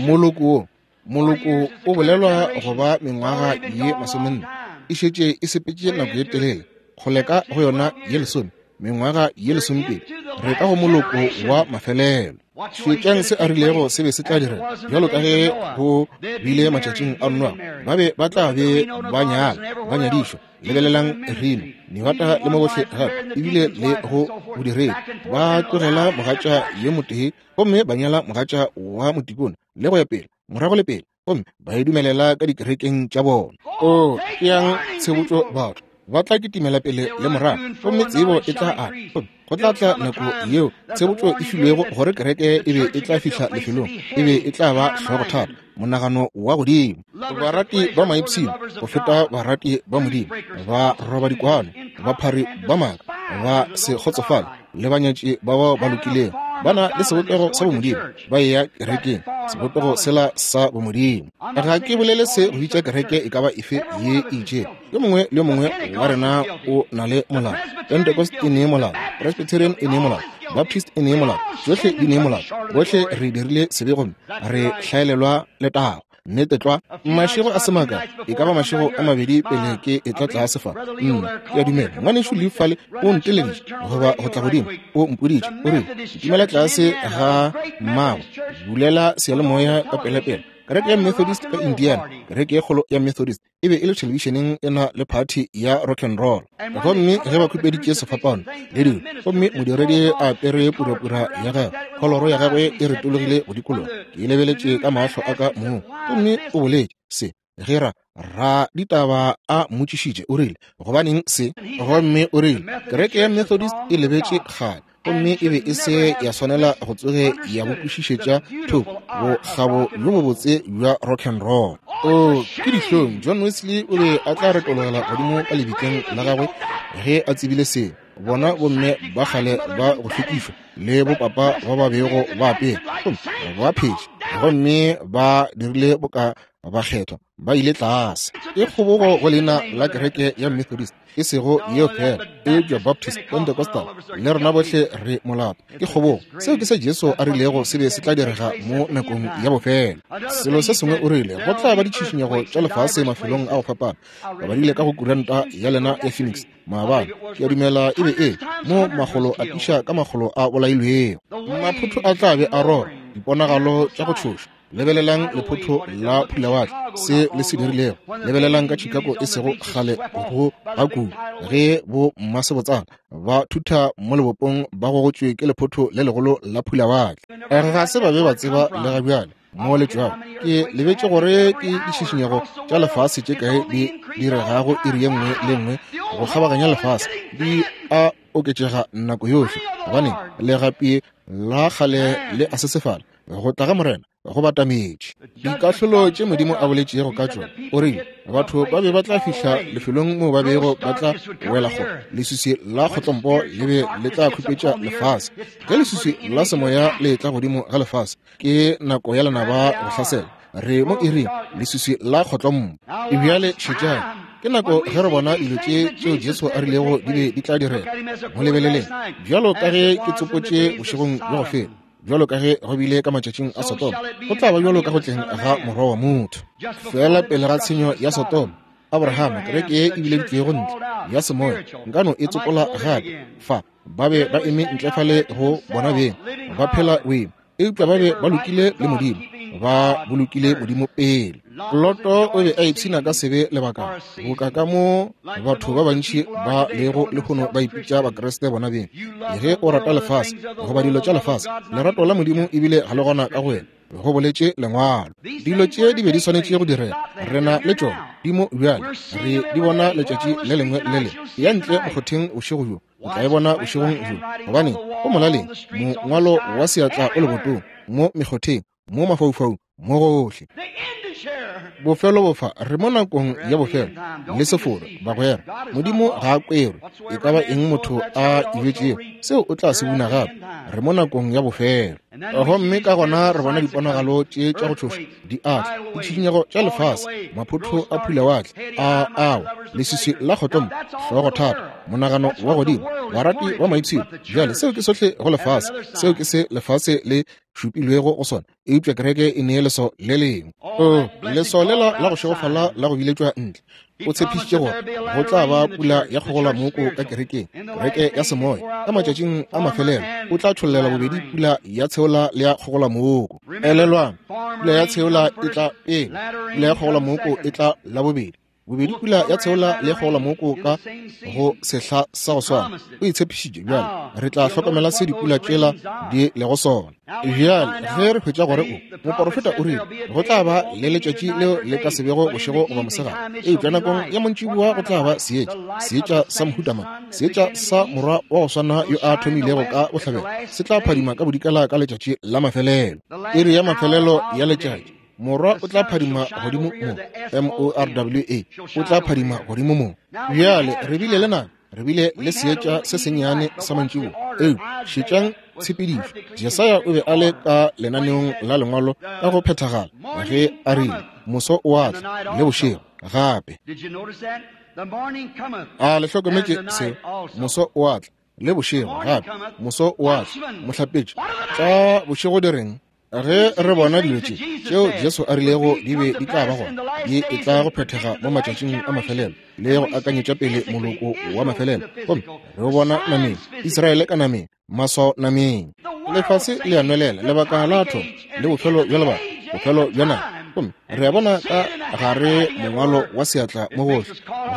Moloko wo, moloko o bolelwa go ba mengwaga ye 40, e šetše e sepetše nako ye telele, kgole ka go yona ye 10, mengwaga ye 20. Re ka go moloko wa mafelelo. Šetšang se a rilego se be se tla direga, bjalo ka ge go bile matšatšing a Noa, ba be ba tla be ba nyala, ba nyadišwa. Lebelelang Reno, Nevada le mo gohle gape, ebile le go bodiredi, ba tlogela mogatša yo motee gomme ba nyala mogatša wa motikone, le go ya pele, morago le pele, gomme ba e dumelela ka dikerekeng tša bona. O tšeang tshebotšo batho ba tla kitimela pele le morago, gomme tsebo e tla ata. Gomme go tla tla nako yeo tshebotšo e filwego gore kereke e be e tla fihla lefelong, e be e tla ba hlogothata, monagano wa godimo, barati ba maipshino go feta barati ba Modimo, ba roba dikwano, baphari ba maaka, ba se kgotsofale, le banyatši ba bao ba lokilego, ba na le sebopego sa bomodimo, ba eya kerekeng, sebopego sela sa bomodimo. Ga ke bolele se go bitša kereke e ka ba efe ye e itšego. Yo mongwe le yo mongwe wa rena o na le molao. Pentecost e ne molao, Presbyterian e ne molao, Baptist e ne molao, tšohle di ne molao. Bohle re dirile sebe gomme re hlaelelwa letago. Nnete tlwa. Mašego a se makae, e ka ba mašego a mabedi pele ke etla tlase fa, nna ke a dumela ngwanešu Lee fale o nteleditše goba go tla godimo, o mpoditše, o rile, Kitimela tlase ga mmago, bulela seyalemoya ka pelepele. Kereke ya Methodist ka Indiana, kereke ye kgolo ya Methodist, e be e le thelebišeneng e na le phathi ya rock and roll. Gomme ge ba khupeditše sefapano le dilo, gomme modiredi a apere purapura ya gagwe, kholoro ya gagwe e retologile go dikologa, ke e lebeletše ka mahlo a ka mong. Gomme o boletše se, ge ra ra ditaba a mmotšišitše, o rile, Gobaneng se? Gomme o rile, Kereke ya Methodist e lebetše kgale, gomme e be e se ya swanela go tsoge ya bo kwešišetša thoko bokgabo bjo bobotse bja rock and roll. O, ke dihlong, John Wesley o be a tla retologela godimo ka lebitleng la gagwe ge a tsebile se. Bona bomme ba kgale ba go hlwekišwa le bopapa ba ba bego ba apere, gomme ba phetše, gomme ba dirile boka bakgethwa, ba ile tlase. E kgobogo go leina la kereke ya Methodist, e sego yeo fela, eupša Baptist, Pentecostal, le rena bohle re molato. Ke kgobogo. Seo ke se Jesu a rilego se be se tla direga mo nakong ya bofelo. Selo se sengwe o rile, go tla ba ditšhišinyego tša lefase mafelong a go fapana. Ba badile ka go kuranta ya lena ya Phoenix maabane, ke a dumela e be e mo makgolo a tiša ka makgolo a bolailwego. Maphotho a tla be a rora, diponagalo tša go tšhoša. Lebelelang lephotho la phulawatle, se le se dirilego. Lebelelang ka Chicago e sego kgale go ga kudu, ge bo mmasebotsana ba thutha mo lebopong ba gogotšwe ke lephotho le legolo la phulawatle. Ga se ba be ba tseba le ga bjale mo le tšwago. Ke lebetše gore ke ditšhišinyego tša lefase tše kae di diregago iri ye nngwe le nngwe go kgabaganya lefase, di a oketšega nako yohle, gobane legapi la kgale le a sesefala. Go tla ga Morena go batametše. Dikahlolo tše Modimo a boletšego ka tšona, o rile batho ba be ba tla fihla lefelong moo ba bego ba tla wela go leswiswi la kgotlompo le be le tla khupetša lefase. Ge leswiswi la semoya le tla godimo ga lefase, ke nako ya lenaba go hlasela. Re mo iring leswiswi la kgotlompo. Bjale šetšang. Ke nako ge re bona dilo tše tšeo Jesu a rilego di be di tla direga. Mo lebeleleng, bjalo ka ge ke tsopotše bošegong bja go feta, bjalo ka ge go bile ka matšatšing a Sodoma, go tla ba bjalo ka go tleng ga Morwa wa motho. Feela pele ga tshenyo ya Sodoma, Abrahama, kereke ye e bileditšwego ntle ya semoya, nka no e tsopola gape fa, ba be ba eme ntle fale go bona beng, ba phela boemo, eupša ba be ba lokile le Modimo, ba bolokile Modimo pele. Loto o be a ipshina ka sebe lebakana, boka ka mo batho ba bantši ba lego lehono ba ipitša Bakriste bona beng. Ge o rata lefase goba dilo tša lefase, lerato la Modimo ebile ga le gona ka go wena, go boletše Lengwalo. Dilo tše di be di swanetše go direga, re na le tšona di mo bjale, re di bona letšatši le lengwe le le. Ya ntle mokgotheng bošego bjo, o tla e bona bošegong bjo, gobane go molaleng mongwalo wa seatla o lebotong, mo mekgotheng, mo mafaufaung, mo gohle. Bofelo bofa, re mo nakong ya bofelo le seforo, bagwera. Modimo ga a kwerwe, e ka ba eng motho a e bjetšego, seo o tla se buna gape. Re mo nakong ya bofelo. Gomme ka gona re bona diponagalo tše tša go tšhoša di atla, ditšhikinyego tša lefase, maphotho a phulawatle a awa, leswiswi la kgotlombo, hlogothata, monagano wa godimo, barati ba maipshino. Bjale seo ke sohle go lefase, seo ke se lefase le šupilwego go sona, eupša kereke e nee leswao le lengwe. O, leswao lela la go šegofala la go biletšwa ntle. O tshepišitše gore go tla ba pula ya kgogolamoko ka kerekeng, kereke ya semoya. Ka matšatšing a mafelelo o tla tšhollela bobedi pula ya tsheola le ya kgogolamoko. Elelwang, pula ya tsheola e tla pele, pula ya kgogolamoko e tla la bobedi. Bobedi pula ya tsheola le kgogolamoko ka go sehla sa go swana. O e tshepišitše. Bjale re tla hlokomela se dipula tšela di lego sona. Bjale ge re hwetša gore o moporofeta o rile go tla ba le letšatši leo le ka se bego bošego goba mosegare, eupša nakong ya montšiboa go tla ba seetša, seetša sa mohuta mang? Seetša sa morwa wa go swana yo a thomilego ka bohlabela se tla phadima ka bodikela ka letšatši la mafelelo, iri ya mafelelo ya letšatši. Morwa o tla phadima godimo mo, M-O-R-W-A, o tla phadima godimo mo. Bjale re bile le nako, re bile le seetša se sennyane sa mantšiboa, eupša šetšang tshepedišo. Jesaya o be a le ka lenaneong la Lengwalo ka go phethagala ge a rile, Moso o a tla, le bošego gape. A le hlokometše seo? Moso o a tla, le bošego gape. Moso o a tla. Mohlapetši, tša bošego di reng? Ge re bona dilo tše tšeo Jesu a rilego di be di tla ba gona, di e tla go phethega mo matšatšing a mafelelo le go akanyetša pele moloko wa mafelelo, gomme re o bona nameng, Israele ka nameng, maswao nameng. Lefase le a nwelela, lebaka la thomo le bofelo bja lebaka, bofelo bja nako. Gomme re a bona ka gare mongwalo wa seatla mo gohle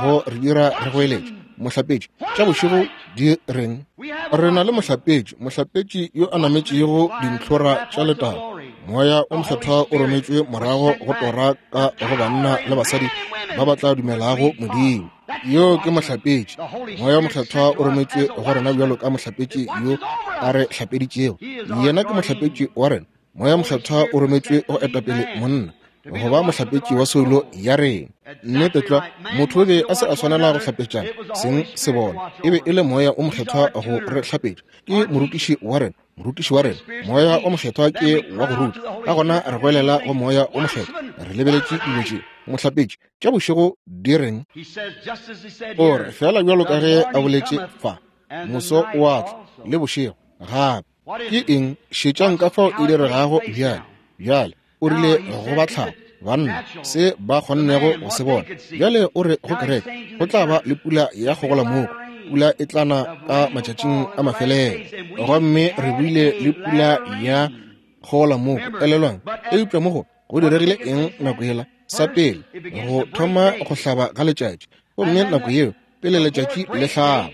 go re dira re goeletše, Mohlapetši, tša bošego di reng? Re na le mohlapetši, mohlapetši yo a nametšego dintlhora tša letago. Moya o Mokgethwa o rometšwe morago go tora ka go banna le basadi ba ba tla dumelago Modimo. Yo ke mohlapetši. Moya o Mokgethwa o rometšwe go rena bjalo ka mohlapetši yo a re hlapeditšego. Yena ke mohlapetši wa rena. Moya Mokgethwa o rometšwe go etapele monna go ba mohlapetši wa soulo ya rena. Nnete tlwa, motho o be a se a swanela go hlapetšana seng se bona. E be e le Moya o Mokgethwa go re hlapetša. Ke morutiši wa rena, morutiši wa rena. Moya o Mokgethwa ke wa go ruta. Ka gona re goelela go Moya o Mokgethwa, re lebeletše dilo tše. Mohlapetši, tša bošego di reng? O re, feela bjalo ka ge a boletše fa, moso o a tla, le bošego gape. Ke eng? Šetšang ka fao e diregago bjale. Bjale, o rile go ba tlhago, banna, se ba kgonnego go se bona. Bjale o re go kereke, go tla ba le pula ya kgogolamoko, pula e tla na ka matšatšing a mafelelo. Gomme re bile le pula ya kgogolamoko, elelwang. Eupša mo go, go diregile eng nako yela? Sa pele, go thoma go hlaba ga letšatši. Gomme nako yeo, pele letšatši le hlaba,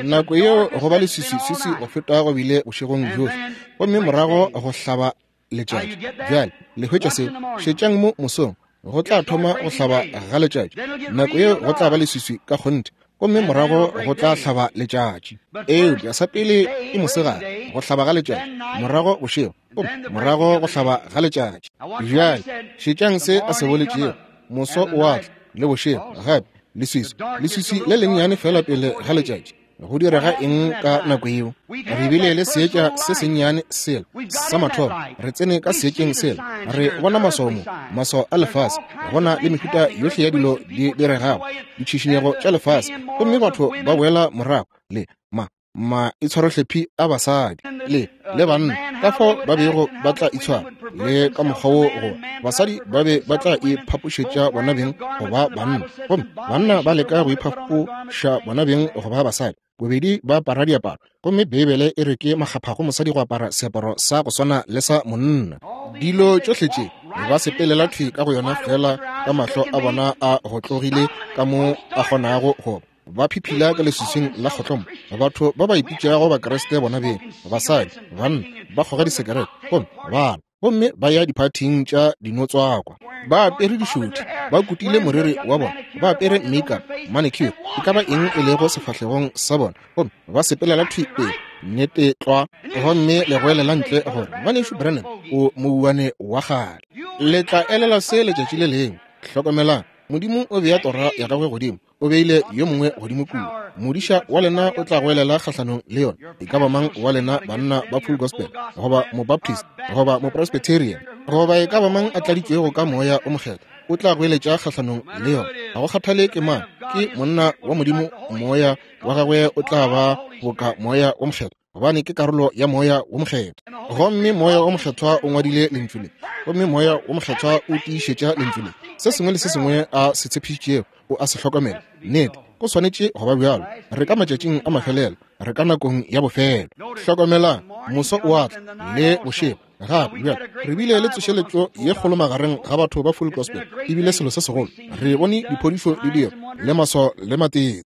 nako yeo go ba leswiswiswiswi go feta go bile bošegong bjohle, gomme morago go hlaba letšatši. Bjale le hwetša seo. Šetšang mo mosong, go tla thoma go hlaba ga letšatši, nako yeo go tla ba leswiswi ka kgonthe, gomme morago go tla hlaba letšatši. Eupša sa pele ke mosegare, go hlaba ga letšatši, morago bošego, gomme morago go hlaba ga letšatši. Bjale šetšang se a se boletšego, moso o a tla, le bošego gape, leswiswi, leswiswi le lennyane feela pele ga letšatši. Go direga eng ka nako yeo? Re bile le seetša se sennyane sela sa mathomo. Re tsene ka seetšeng sela. Re bona maswao mo, maswao a lefase. Go na le mehuta yohle ya dilo di diregago, ditšhišinyego tša lefase, gomme batho ba boela morago le ma maitshwarohlephi a basadi le le banna, ka fao ba bego ba tla itshwara, le ka mokgwa wo go basadi ba be ba tla iphapošetša bona beng go ba banna, gomme banna ba leka go iphapoša bona beng go ba basadi, bobedi ba apara diaparo. Gomme Beibele e re ke makgapha go mosadi go apara seaparo sa go swana le sa monna. Dilo tšohle tše ba sepelela thwi ka go yona fela ka mahlo a bona a go tlogile ka mo a kgonago go ba phiphila ka leswiswing la kgotlomo. Batho ba ba ipitšago Bakriste bona beng, basadi, banna, ba kgoga disekerete gomme ba gomme ba ya diphathing tša dinotswakwa, ba apere dišothi, ba kutile moriri wa bona, ba apere makeup, manicure, e ka ba eng e lego sefahlegong sa bona, gomme ba sepelela thwi pele, nnete tlwa, gomme le goelela ntle gore Ngwanešu Branham o mouwane wa kgale. Le tla elela se letšatši le lengwe. Hlokomelang, Modimo o bea tora ya gagwe godimo, o beile yo mongwe godimo kua. Modiša wa lena o tla goelela kgahlanong le yona. E ka ba mang wa lena banna ba Full Gospel, goba Mobaptist, goba Mopresbyterian, goba e ka ba mang a tladitšwego ka Moya o Mokgethwa, o tla goeletša kgahlanong le yona. Ga go kgathale ke mang, ke monna wa Modimo, Moya wa gagwe o tla ba boka Moya o Mokgethwa, gobane ke karolo ya Moya wo Mokgethwa. Gomme Moya wo Mokgethwa o ngwadile Lentšu le, gomme Moya wo Mokgethwa o tiišetša Lentšu le. Se sengwe le se sengwe a se tshepišitšego, o a se hlokomela. Nnete, go swanetše go ba bjalo. Re ka matšatšing a mafelelo, re ka nakong ya bofelo. Hlokomelang, moso o a tla, le bošego gape. Bjale re bile le tsošeletšo ye kgolo magareng ga batho ba Full Gospel, e bile selo se segolo. Re bone diphodišo di dirwa, le maswao le matete.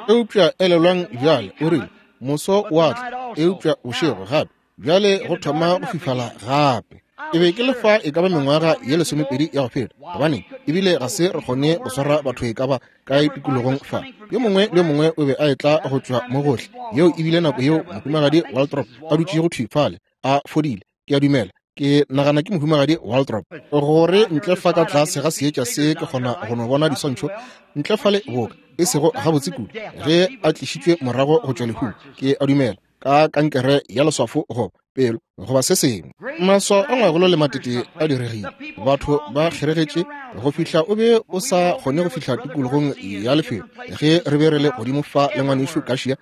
Eupša elelwang bjale, o rile, moso o a tla, eupša bošego gape. Bjale go thoma go fifala gape. E be ke le fa e ka ba mengwaga ye 20 ya go feta, gobane ebile ga se re kgone go swara batho e ka ba kae tikologong fa. Yo mongwe le yo mongwe o be a etla go tšwa mo gohle. Yeo e bile nako yeo Mohumagadi Waldrop a dutšego thwi fale a fodile. Ke a dumela, ke nagana ke Mohumagadi Waldrop, gore ntle fa ka tlase ga seetša se ke kgona go no bona diswantšho ntle fale boka e sego gabotse kudu, ge a tlišitšwe morago go tšwa lehung, ke a dumela, ka kankere ya leswafo goba pelo goba se sengwe. Maswao a ngwagolo le matete a diregile, batho ba kgeregetše go fihla o be o sa kgone go fihla tikologong ya lefelo. Ge re be re le godimo fa le ngwanešu Kašia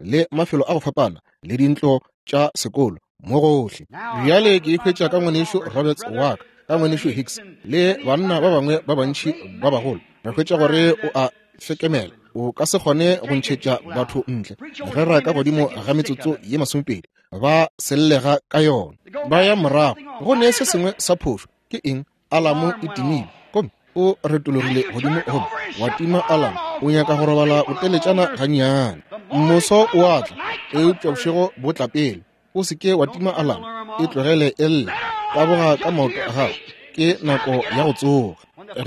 le mafelo a go fapana le dintlo tša sekolo mo gohle. Bjale ke ikhwetša ka ngwanešu Roberts wa ka, ka ngwanešu Hicks le banna ba bangwe ba bantši ba bagolo. Re hwetša gore o a hlekemela, o ka se kgone go ntšhetša batho ntle ge ra ka godimo ga metsotso ye 20 ba sellega ka yona, ba ya morago. Go ne se sengwe sa phošo. Ke eng? Alamo e timile, gomme o retologile godimo gomme wa tima alamo. O nyaka go robala boteletšana gannyane. Moso o a tla, eupša bošego bo tla pele. O se ke wa tima alamo, e tlogele e lle. Taboga ka maoto a gago, ke nako ya go tsoga.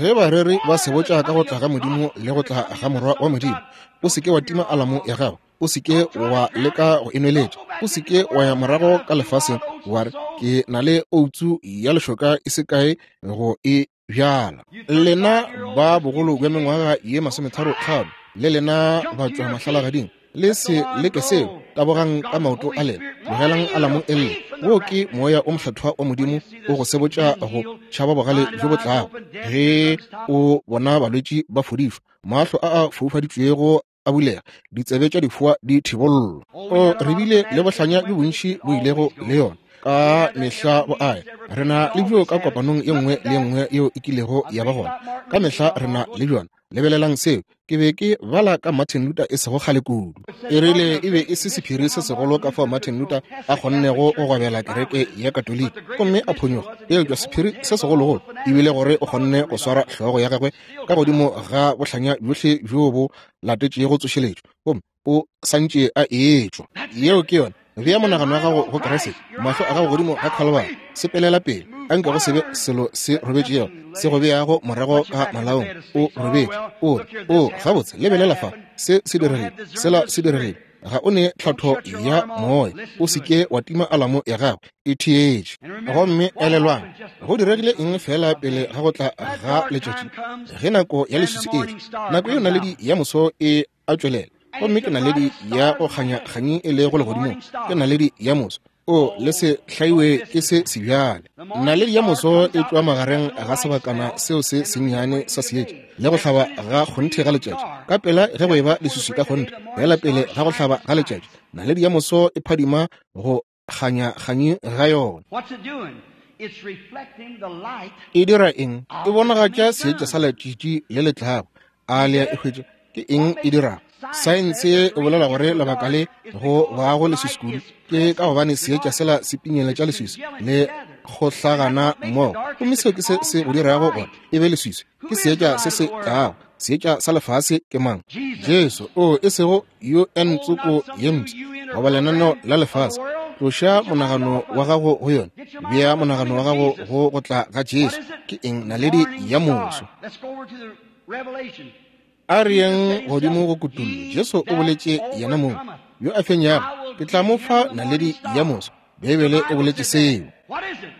Ge bareri ba sebotša ka go tla ga Modimo le go tla ga Morwa wa Modimo, o se ke wa tima alamo ya gago. O se ke wa leka go e nweletša. O se ke wa ya morago ka lefaseng wa re, ke na le outsu ya lešoka e se kae go e bjala. Lena ba bogolo bja mengwaga ye 35, le lena batšwa mahlalagading, le se leke seo. Tabogang ka maoto a lena, tlogelang alamo e lle. Wo ke Moya o Mokgethwa wa Modimo o go sebotša go tšhaba bogale bjo bo tlago. Ge o bona balwetši ba fodišwa, mahlo a a foufaditšwego a bulega, ditsebe tša difoa di thibollwa. O re bile le bohlanya bjo bontši bo ilego le yona ka mehla bo aya. Re na le bjo ka kopanong ye nngwe le ye nngwe yeo e kilego ya ba gona. Ka mehla re na le bjona. Lebelelang seo. Ke be ke bala ka Martin Luther e sego kgale kudu. E rile e be e se sephiri se segolo ka fao Martin Luther a kgonnego go gwabela kereke ya Katoliki gomme a phonyoga. Eupša sephiri se segologolo e bile gore o kgonne go swara hlogo ya gagwe ka godimo ga bohlanya bjohle bjo bo latetšego tsošeletšo, gomme o santše a etšwa. Yeo ke yona. Bea monagano wa gago go Kriste, mahlo a gago godimo ga Khalibari. Sepelela pele, a nke go se be selo se robetšego se go beago morago ka malaong. O robetše, o re, O, gabotse, lebelela fa, se se diregile, sela se diregile. Ga o ne tlhatho ya moya. O se ke wa tima alamo ya gago, e theetše. Gomme elelwang, go diregile eng feela pele ga go tla ga letšatši? Ge nako ya leswiswi e tla, nako yeo naledi ya moso e a tšwelela. Gomme ke naledi ya go kganya kganyi e lego legodimong, ke naledi ya moso. O le se hlaiwe ke se sebjale. Naledi ya moso e tšwa magareng ga sebakana seo se sennyane sa seetša le go hlaba ga kgonthe ga letšatši. Ka pela ge go eba leswiswi ka kgonthe, fela pele ga go hlaba ga letšatši, naledi ya moso e phadima go kganya kganyi ga yona. E dira eng? E bonagatša seetša sa letšatši le le tlago. A le a e hwetša? Ke eng e dirago? Saense e bolela gore lebaka le go bago leswiswi kudu ke ka gobane seetša sela se pinyeletša leswiswi le kgohlagana mmogo, gomme seo ke se se go dirago gore e be leswiswi. Ke seetša se se tlago. Seetša sa lefase ke mang? Jesu. O, e sego UN tsoko ye mpsha goba lenaneo la lefase. Tloša monagano wa gago go yona, bea monagano wa gago go go tla ga Jesu. Ke eng? Naledi ya moso. A re yeng godimo go kutullo. Jesu o boletše yena mong, yo a fenyago, ke tla mo fa naledi ya moso. Beibele e boletše seo.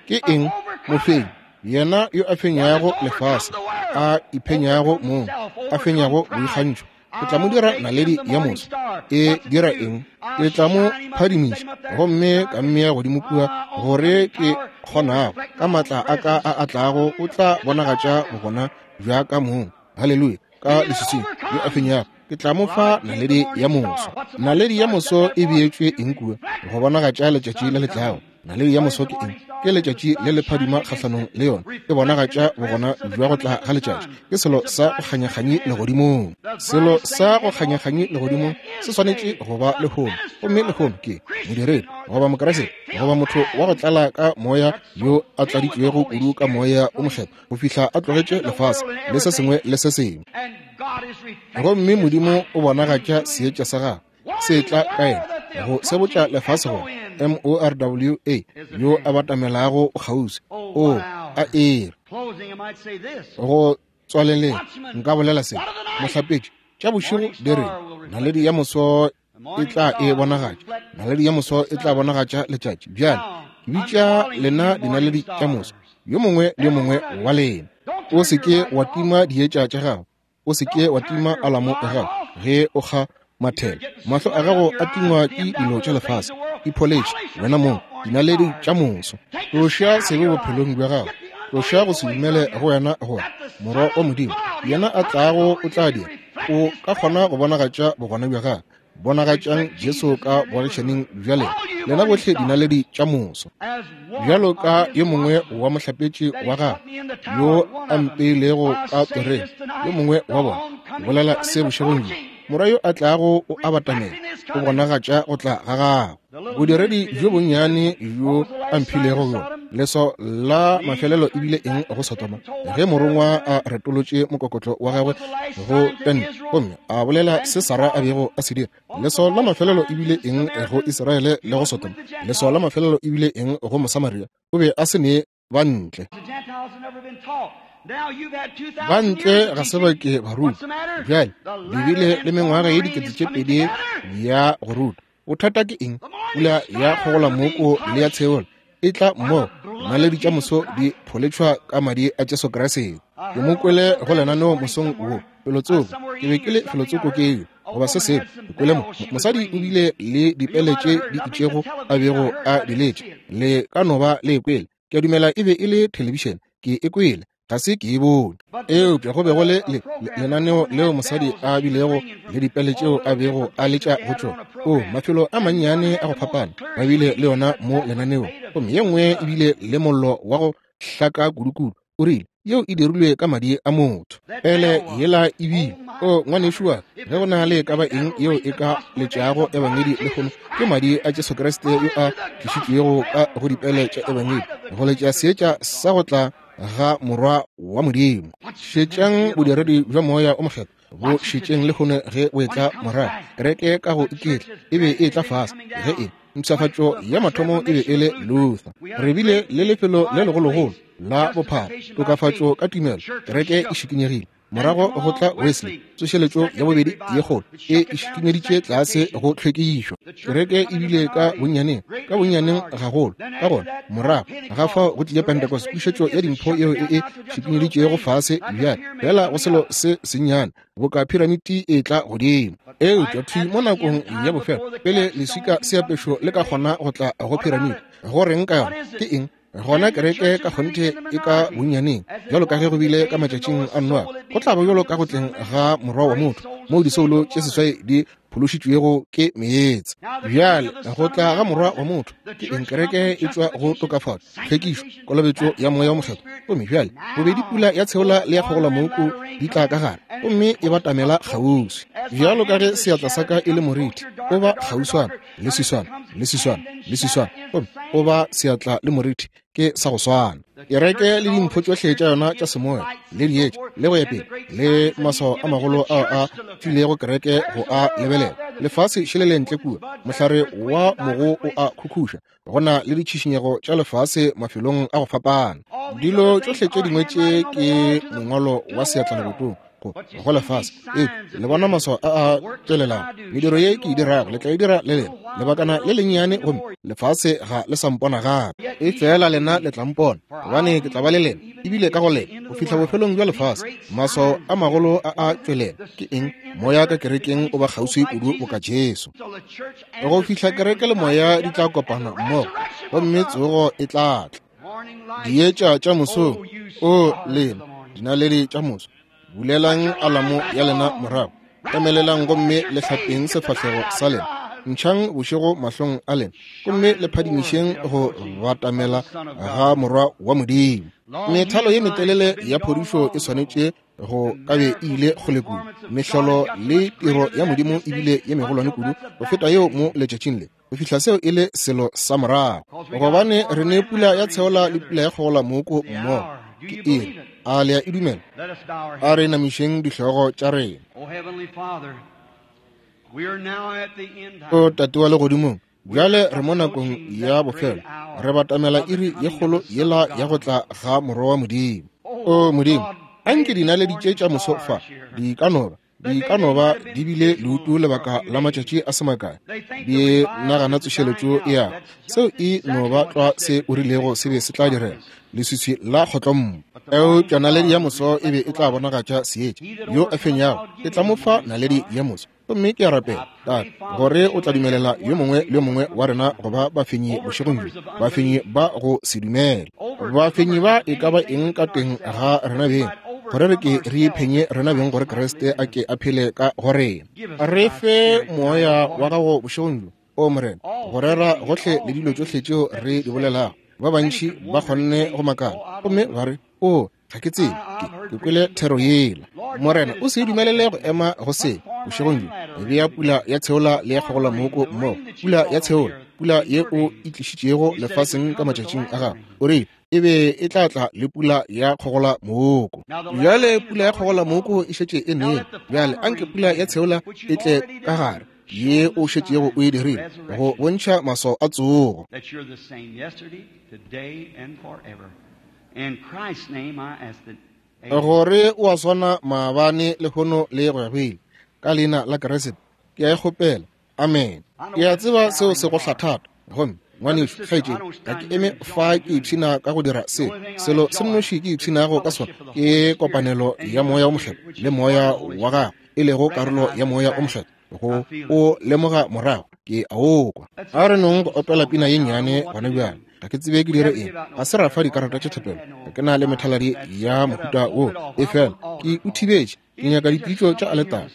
Ke eng? Mofenyi, yena yo a fenyago lefase, a iphenyago mong, a fenyago boikgantšho. Ke tla mo dira naledi ya moso. E dira eng? Ke tla mo phadimiša gomme ka mmea godimo kua gore ke kgonago ka maatla a ka a a tlago o tla bonagatša bogona bja ka mong. Haleluya! Ka leswiswing yo a fenyago, ke tla mo fa naledi ya moso. Naledi ya moso e beetšwe eng kua? Go bonagatša letšatši le le tlago. Naledi ya moso ke eng? Ke letšatši le le phadima kgahlanong le yona. E bonagatša bogona bja go tla ga letšatši. Ke selo sa go kganyakganyi legodimong. Selo sa go kganyakganyi legodimong se swanetše go ba lehono. Gomme lehono ke modiredi goba Mokriste goba motho wa go tlala ka moya yo a tladitšwego kudu ka moya o mokgethwa go fihla a tlogetše lefase le se sengwe le se sengwe. Gomme Modimo o bonagatša seetša sa gagwe se tla ka yena go sebotša lefase gore M-O-R-W-A yo a batamelago o kgauswi. O a ere go tswaleleng, nka bolela se, mohlapetši, tša bošego di re naledi ya moso e tla e bonagatša, naledi ya moso e tla bonagatša letšatši. Bjale ke bitša lena dinaledi tša moso, yo mongwe le yo mongwe wa lena. O se ke wa tima dietša tša gago, o se ke wa tima alamo ya gago ge o kga mathela. Mahlo a gago a tingwa ke dilo tša lefase. Ipholetše wena mong dinaledi tša moso. Tloša sebe bophelong bja gago, tloša go se dumele go wena gore Morwa wa Modimo yena a tlago o tla dira. O ka kgona go bonagatša bogona bja gagwe. Bonagatšang Jesu ka boagišaning bja lena, lena bohle dinaledi tša moso. Bjalo ka yo mongwe wa mohlapetši wa gagwe yo a mpeilego ka toreng, yo mongwe wa bona, ke bolela se bošegong bjo, Morwa yo a tlago o a batamela, o bonagatša go tla ga gagwe. Bodiredi bjo bonnyane bjo a mphilego bjona, leswao la mafelelo e bile eng go Sodoma? Ge morongwa a retolotše mokokotlo wa gagwe go tente gomme a bolela se Sara a bego a se dira. Leswao la mafelelo e bile eng go Israele le go Sodoma? Leswao la mafelelo e bile eng go Mosamaria? O be a se ne ba ntle. Ba ntle ga se ba ke ba ruta. Bjale le bile le mengwaga ye 2000 ya go ruta. Bothata ke eng? Pula ya kgogolamoko le ya tsheola e tla mmogo, naledi tša moso di pholetšhwa ka madi a Jesu Kriste. Ke mo kwele go lenaneo mosong wo, felotsoko. Ke be ke le felotsoko ke yo goba se sengwe. Ke kwele mo mosadi o bile le dipele tše di itšego a bego a di letša. Le ka no ba le e kwele. Ke a dumela e be e le thelebišene. Ke e kwele, ga se ke e bone. Eupša go be go le lenaneo leo mosadi a bilego le dipele tšeo a bego a letša go tšona. O, mafelo a mannyane a go fapana ba bile le yona mo lenaneong. Gomme ye nngwe e bile le mollo wa go hlaka kudukudu. O rile, Yeo e dirilwe ka madi a motho. Pele yela e bile. O, ngwanešu wa ka, ge go na le e ka ba eng yeo e ka letšago Ebangedi lehono, ke madi a Jesu Kriste yo a tlišitšwego ka go dipele tša Ebangedi, go letša seetša sa go tla ga Morwa wa Modimo. Šetšang bodiredi bja Moya o Mokgethwa bo šetšeng lehono ge bo etla morago. Kereke ka go iketla e be e etla fase ge e mpshafatšo ya mathomo e be e le Luther. Re bile le lefelo le legologolo la bophara, tokafatšo ka tumelo, kereke e šikinyegile. Morago go tla Wesley, tsošeletšo ya bobedi ye kgolo e šikinyeditše tlase go tlhwekišo. Kereke e bile ka bonnyaneng, ka bonnyaneng gagolo. Ka gona morago ga fao go tlile Pentecost, pušetšo ya dimpho yeo e e šikinyeditšego fase bjale fela go selo se sennyane boka phiramiti e tla godimo. Eupša thwi mo nakong ya bofelo, pele leswika seapešo le ka kgona go tla go phiramiti, go reng ka yona? Ke eng? Gona kereke ka kgonthe e ka bonnyaneng, bjalo ka ge go bile ka matšatšing a Noa, go tla ba bjalo ka go tleng ga Morwa wa motho, moo disoulo tše seswai di phološitšwego ke meetse. Bjale go tla ga Morwa wa motho ke eng? Kereke e tšwa go tokafatšo, tlhwekišo, kolobetšo ya Moya wo Mokgethwa. Gomme bjale bobedi pula ya tsheola le ya kgogolamooko di tla ka gare, gomme e batamela kgauswi. Bjalo ka ge seatla sa ka e le moriti, o ba kgauswana le swiswana le swiswana le swiswana, gomme o ba seatla le moriti ke sa go swana. Kereke le dimpho tšohle tša yona tša semoya le dietša le go ya pele le maswao a magolo ao a filego kereke go a lebelela. Lefase šele le ntle kua, mohlare wa mogo o a khukhuša, go na le ditšhišinyego tša lefase mafelong a go fapana. Dilo tšohle tše dingwe tše ke mongwalo wa seatla lebotong go lefase. Ee, le bona maswao a a tšwelelago. Mediro ye ke e dirago le tla e dira le lena lebakana le lennyane, gomme lefase ga le sa mpona gape. Efela lena le tla mpona, gobane ke tla ba le lena, ebile ka go lena, go fihla bofelong bja lefase. Maswao a magolo a a tšwelela. Ke eng? Moya ka kerekeng o ba kgauswi kudu boka Jesu, go fihla kereke le moya di tla kopana mmogo, gomme tsogo e tla tla. Dietša tša mosong, o lena dinaledi tša moso, bulelang alamo ya lena morago, emelelang gomme le hlapeng sefahlego sa lena, ntšhang bošego mahlong a lena, gomme le phadimišeng go batamela ga Morwa wa Modimo. Methalo ye metelele ya phodišo e swanetše go ka be e ile kgole kudu. Mehlolo le tiro ya Modimo e bile ye megolwane kudu go feta yeo mo letšatšing le, go fihla seo e le selo sa morago, gobane re ne pula ya tsheola le pula ya kgogola mooko mmogo. Ke iri. A le a e dumela? A re namišeng dihlogo tša rena. O Tate wa Legodimong, bjale re mo nakong ya bofelo, re batamela iri ye kgolo yela ya go tla ga Morwa wa Modimo. O Modimo, anke dinaledi tše tša moso fa di ka no ba di ka no ba di bile leutu lebaka la matšatši a se makae, di nagana tsošeletšo ya seo e no ba tlwa se o rilego se be se tla direga, leswiswi la kgotlommo. Eupša naledi ya moso e be e tla bonagatša seetša. Yo a fenyago ke tla mo fa naledi ya moso. Gomme ke a rapela, Tate, gore o tla dumelela yo mongwe le yo mongwe wa rena go ba bafenyi bošegong bjo, bafenyi ba go se dumele, bafenyi ba e ka ba eng ka teng ga rena beng, gore re ke re iphenye rena beng, gore Kriste a ke a phele ka go rena. Re fe moya wa gago bošegong bjo, o Morena, go rera gohle le dilo tšohle tšeo re di bolelago. Ba bantši ba kgonne go makala gomme ba re, O, ga ke tsebe, ke kwele thero yela. Morena, o se dumelele go ema go se bošegong bjo. Bea pula ya tsheola le ya kgogola mooko mmogo, pula ya tsheola, pula ye o e tlišitšego lefaseng ka matšatšing a gago. O rile e be e tla tla le pula ya kgogola mooko. Bjale pula ya kgogola mooko e šetše e nele. Bjale anke pula ya tsheola e tle ka gare, ye o šetšego o e dirile, go bontšha maswao a tsogo. Gore o a swana maabane, lehono le go ya go ile. Ka leina la Kriste ke a e kgopela. Amen. Ke a tseba seo se go hlatha. Gomme ngwanešu, kgaetšedi, ga ke eme fa ke ipshina ka go dira se. Selo se nnoši ke ipshinago ka sona ke kopanelo ya Moya wo Mokgethwa le Moya wa Gagwe, e lego karolo ya Moya wo Mokgethwa, go o lemoga morago ke a o kwa. A re nong go opela pina ye nnyane gona bjale. Ga ke tsebe ke dire eng. Ga se ra fa dikarata tša thapelo. Ga ke na le methaladi ya mohuta wo, efela ke o thibetše. Ke nyaka dipitšo tša aletara.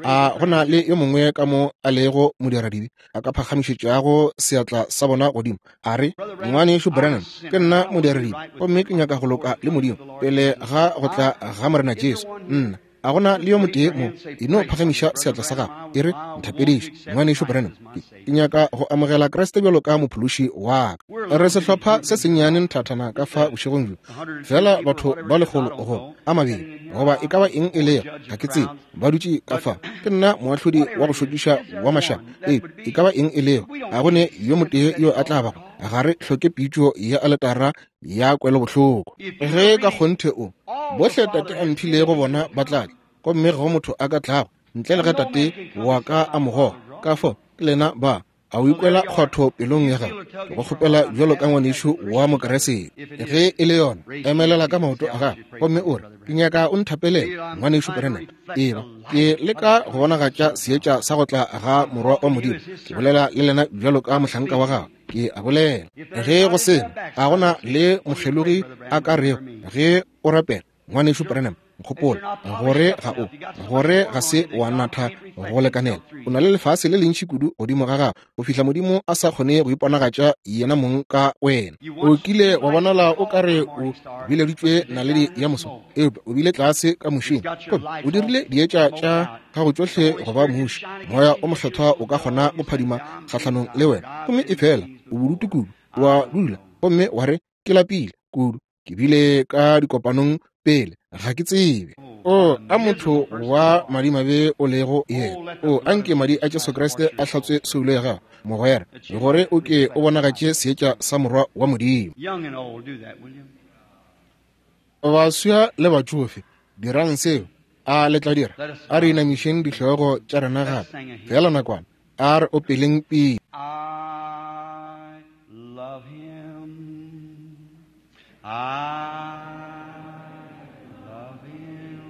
A go na le yo mongwe ka mo a lego modiradibe a ka phagamišetšago seatla sa bona godimo, a re, Ngwanešu Branham, ke nna modiradibe, gomme ke nyaka go loka le Modimo pele ga go tla ga Morena Jesu. Nna, a go na le yo motee mo? E no phagamiša seatla sa gago, e re, Nthapediše, Ngwanešu Branham, ke nyaka go amogela Kriste bjalo ka mophološi wa ka. Re sehlopha se sennyane nthathana ka fa bošegong bjo, fela batho ba 100 goba a mabedi, goba e ka ba eng e lego, ga ke tsebe, ba dutše ka fa. Ke nna moahlodi wa go šokiša wa mašaba. Ee, e ka ba eng e lego, a go ne yo motee yo a tla bago Ga re hloke pitšo ya aletara ya kwelobohloko. Ge ka kgonthe o, bohle Tate a mphilego bona ba tla tla, gomme ga go motho a ka tlago ntle le ge Tate wa ka a mo goga. Ka fao ke lena ba. A o ikwela kgwatho pelong ya gago? Ke go kgopela bjalo ka ngwanešu wa Mokriste, ge e le yona, emelela ka maoto a gago gomme o re, Ke nyaka o nthapelele, Ngwanešu Branham. Eba ke leka go bonagatša seetša sa go tla ga Morwa wa Modimo. Ke bolela le lena bjalo ka mohlanka wa gago. Ke a bolela. Ge go sena, ga go na le mokgelogi a ka rego ge o rapela, Ngwanešu Branham, nkgopola gore ga o, gore ga se wa natha go lekanela. O na le lefase le lentši kudu godimo ga gago go fihla Modimo a sa kgone go iponagatša yena mong ka wena. O kile wa bonala o ka re o bileditšwe naledi ya moso, eupša o bile tlase ka mušing gomme o dirile dietša tša gago tšohle go ba muši. Moya o Mokgethwa o ka kgona go phadima kgahlanong le wena, gomme efela o bodutu kudu, wa dula gomme wa re, Ke lapile kudu. Ke bile ka dikopanong pele, ga ke tsebe. O, a motho wa madimabe o lego yena. O, a nke madi a Jesu Kriste a hlatswe soulo ya gago, mogwera, gore o ke o bonagatše seetša sa Morwa wa Modimo. Baswa le batšofe, dirang seo. A le tla dira? A re inamišeng dihlogo tša rena gape, feela nakwana. A re opeleng pina. I love him. I love him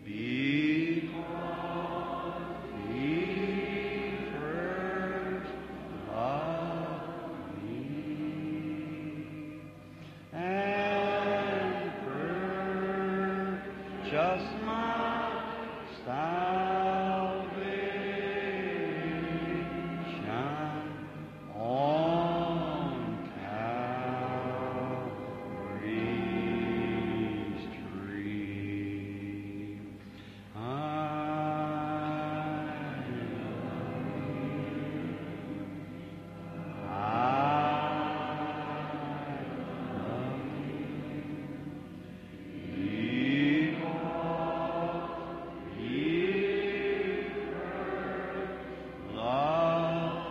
because he first loved me and purchased my salvation on Calvary's tree. I love him because he first loved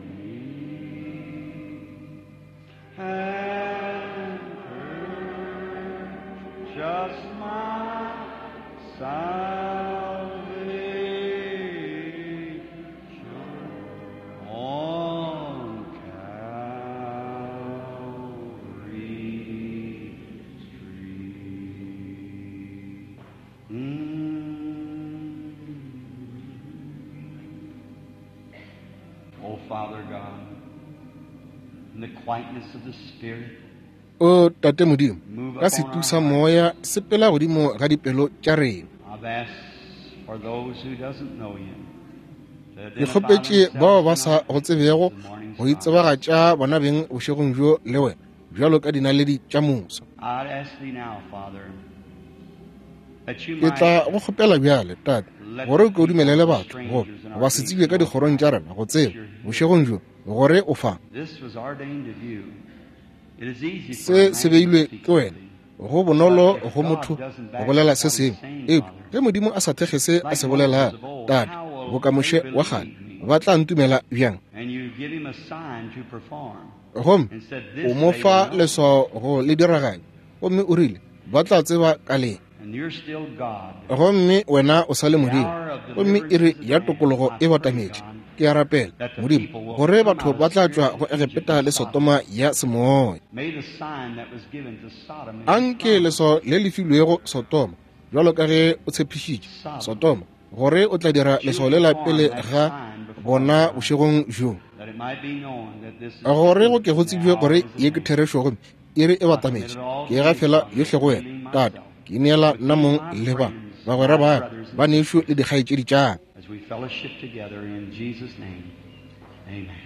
me and purchased my salvation on Calvary's tree. Mm. Oh, Father God, in the quietness of the Spirit, O Tate Modimo, ka setu sa Moya, sepela godimo ga dipelo tša rena. I've asked for those who doesn't know you to Ke identify kgopetše bao ba themselves sa tonight go tsebego as the morning go star. itsebagatša bona beng bošegong bjo le wena bjalo ka dinaledi tša moso. I'd ask thee now, Father, that you Ke tla might go kgopela bjale, Tate, let gore the o ke o people, dumelele the batho go strangers in our ba se gates tsebje ka know dikgorong tša rena go that tseba you're here. bošegong bjo gore o fa. This was ordained of you. It is easy for a Se man se to beilwe speak ke wena. something, Go but bonolo if go God motho doesn't go back bolela up se what he's sengwe, saying, eupša Father, ge Modimo a sa thekge se a like se Moses bolelago, of old, Tate, how will boka they Moshe wa kgale, believe me? ba tla ntumela bjang? And you give him a sign to perform, Gomme and said, o This mo they will fa know. leswao go le diraganya, gomme o rile, ba tla tseba ka le. And you're still God. Gomme wena o sa le The Modimo, hour of gomme deliverance iri is at ya hand. tokologo I e pray, batametše. God, Ke a rapela, that the Modimo, people will gore come batho out of ba tla tšwa spiritual go Egypt Egepeta and le Sodom. Sotoma ya semoya. May the sign that was given to Sodom and Anke confirmed leswao le le filwego Sotoma, bjalo ka ge o tshepišitše Sodom, Sotoma, gore o tla dira that you leswao lela perform pele that ga sign before bona our eyes, bošegong bjo, that it might be known that this is gore go truth ke go and the tsebje hour gore is ye at ke hand. therešo gomme iri e I commit batametše. it all Ke to thee, gafela Father, yohle go wena, yielding Tate. myself Ke ineela with nna these mong my le ba friends, bagwera my ba ka, brothers and ba nešo le sisters, dikgaetšedi tša ka. as we fellowship together in Jesus' name. Amen.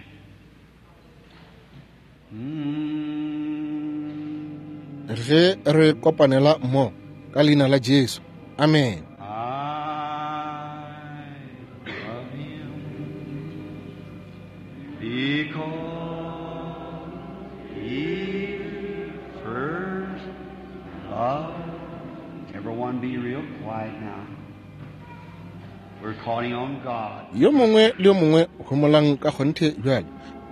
Mm. Ge re kopanela mmogo ka leina la Jesu. Amen. I love him because he first loved. Everyone be real quiet now. We're calling on God. Yo mongwe le yo mongwe homolang ka kgonthe bjale.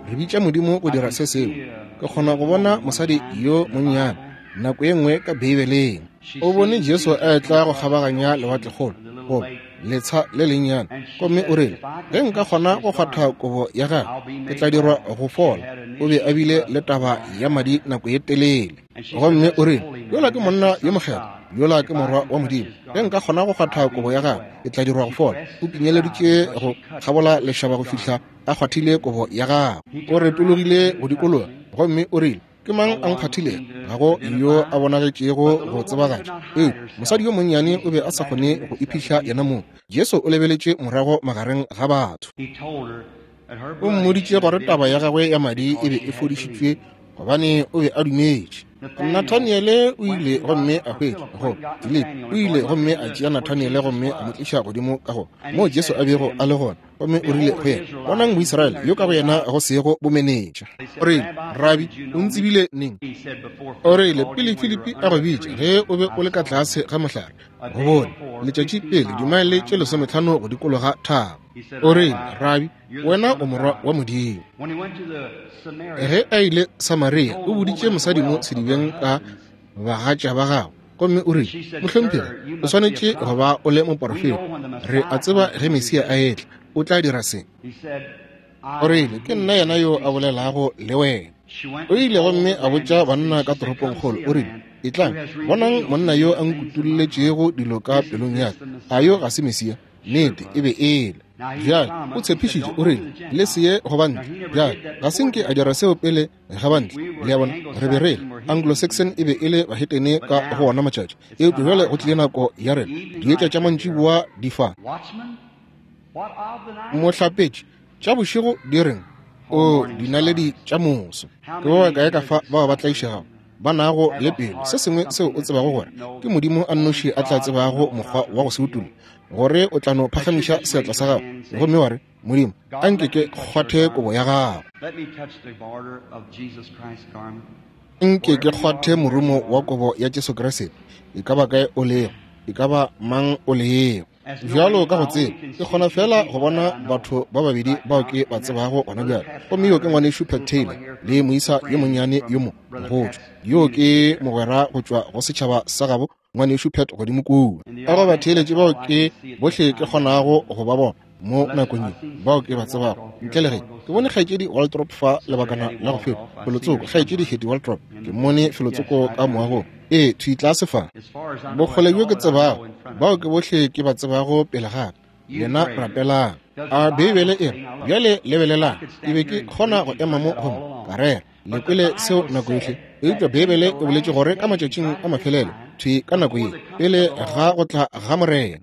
Re bitša Modimo go dira se sengwe. Ke kgona go bona mosadi yo monnyane nako ye nngwe ka Beibeleng. O bone Jesu a etla go kgabaganya lewatlekgolo, goba letsha le lennyane, gomme o rile, Ge nka kgona go kgwatha kobo ya gagwe, ke tla dirwa go fola. O be a bile le taba ya madi nako ye telele. Gomme o rile, Yola ke monna yo mokgethwa, yola ke morwa wa Modimo. Ge nka kgona go kgwatha kobo ya gagwe, ke tla dirwa go fola. O pinyeleditše go kgabola lešaba go fihla a kgwathile kobo ya gagwe. O retologile go dikologa, gomme o rile, Ke mang a nkgwathilego? Ga go yo a bonagetšego go tsebagatša. Eupša mosadi yo monnyane o be a sa kgone go iphihla yena mong. Jesu o lebeletše morago magareng ga batho. O mmoditše gore taba ya gagwe ya madi e be e fodišitšwe gobane o be a dumetše. Nathaniele o ile gomme a hwetša go Filipi o ile gomme a tšea Nathaniele gomme a mo tliša godimo ka go moo Jesu a bego a le gona, gomme o rile go yena, Bonang Moisraele yo ka go yena go sego bomenetša. O rile, Rabi, o ntsebile neng? O rile, Pele Filipi a go bitša, ge o be o le ka tlase ga mohlare, go bone letšatši pele, dimaele tše 15 go dikologa thaba. O rile, Rabi, wena o morwa wa Modimo. Ge a ile Samaria, o boditše mosadi mo sedibeng ka bagatša ba gagwe, gomme o rile, Mohlomphegi, o swanetše go ba o le moporofeta. Re a tseba ge Mesia a etla, o tla dira se. O rile, Ke nna yena yo a bolelago le wena. O ile gomme a botša banna ka toropongkgolo, o rile, Etlang, bonang monna yo a nkutolletšego dilo ka pelong ya ka. A yo ga se Mesia? Nnete, e be e le. Bjale, o tshepišitše, o rile, Le se ye go bantle. Bjale, ga se nke a dira seo pele ga bantle. Le a bona, re be re le Anglo-Saxon e be e le bahetene ka go ona matšatši. Eupša bjale go tlile nako ya rena. Dietša tša mantšiboa di fa. Mohlapetši, tša bošego di reng? O, dinaledi tša moso. Ke ba bakae ka fa bao ba tlaišegago, ba nago le pelo, se sengwe seo o tsebago gore ke Modimo a nnoši a tla tsebago mokgwa wa go se utolla, gore o tla no phagamiša seatla sa gago gomme wa re, Modimo, a nke ke kgwathe kobo ya gago. Nke ke kgwathe morumo wa kobo ya Jesu Kriste, e ka ba kae o lego, e ka ba mang o lego. Bjalo ka go tseba, ke kgona feela go bona batho ba babedi bao ke ba tsebago gona bjale, gomme yo ke Ngwanešu Pat Taylor le moisa yo monnyane yo mo mogotšwa. Yo ke mogwera go tšwa go setšhaba sa gabo, Ngwanešu Pat godimo kua. Ka go batheeletši bao ke bohle ke kgonago go ba bona mo nakong ye, bao ke ba tsebago, ntle le ge ke bone Kgaetšedi Waldrop fa lebakana la go feta, felotsoko, Kgaetšedi Hattie Waldrop, ke mmone felotsoko ka moagong. Ee, thwi tlase fa. Bokgole bjo ke tsebago, bao ke bohle ke ba tsebago pele ga ka. Lena rapelang. A Beibele e re, bjale lebelelang, ke be ke kgona go ema mo gomme ka rera. Le kwele seo nako yohle. Eupša Beibele e boletše gore ka matšatšing a mafelelo, thwi ka nako ye, pele ga go tla ga Morena,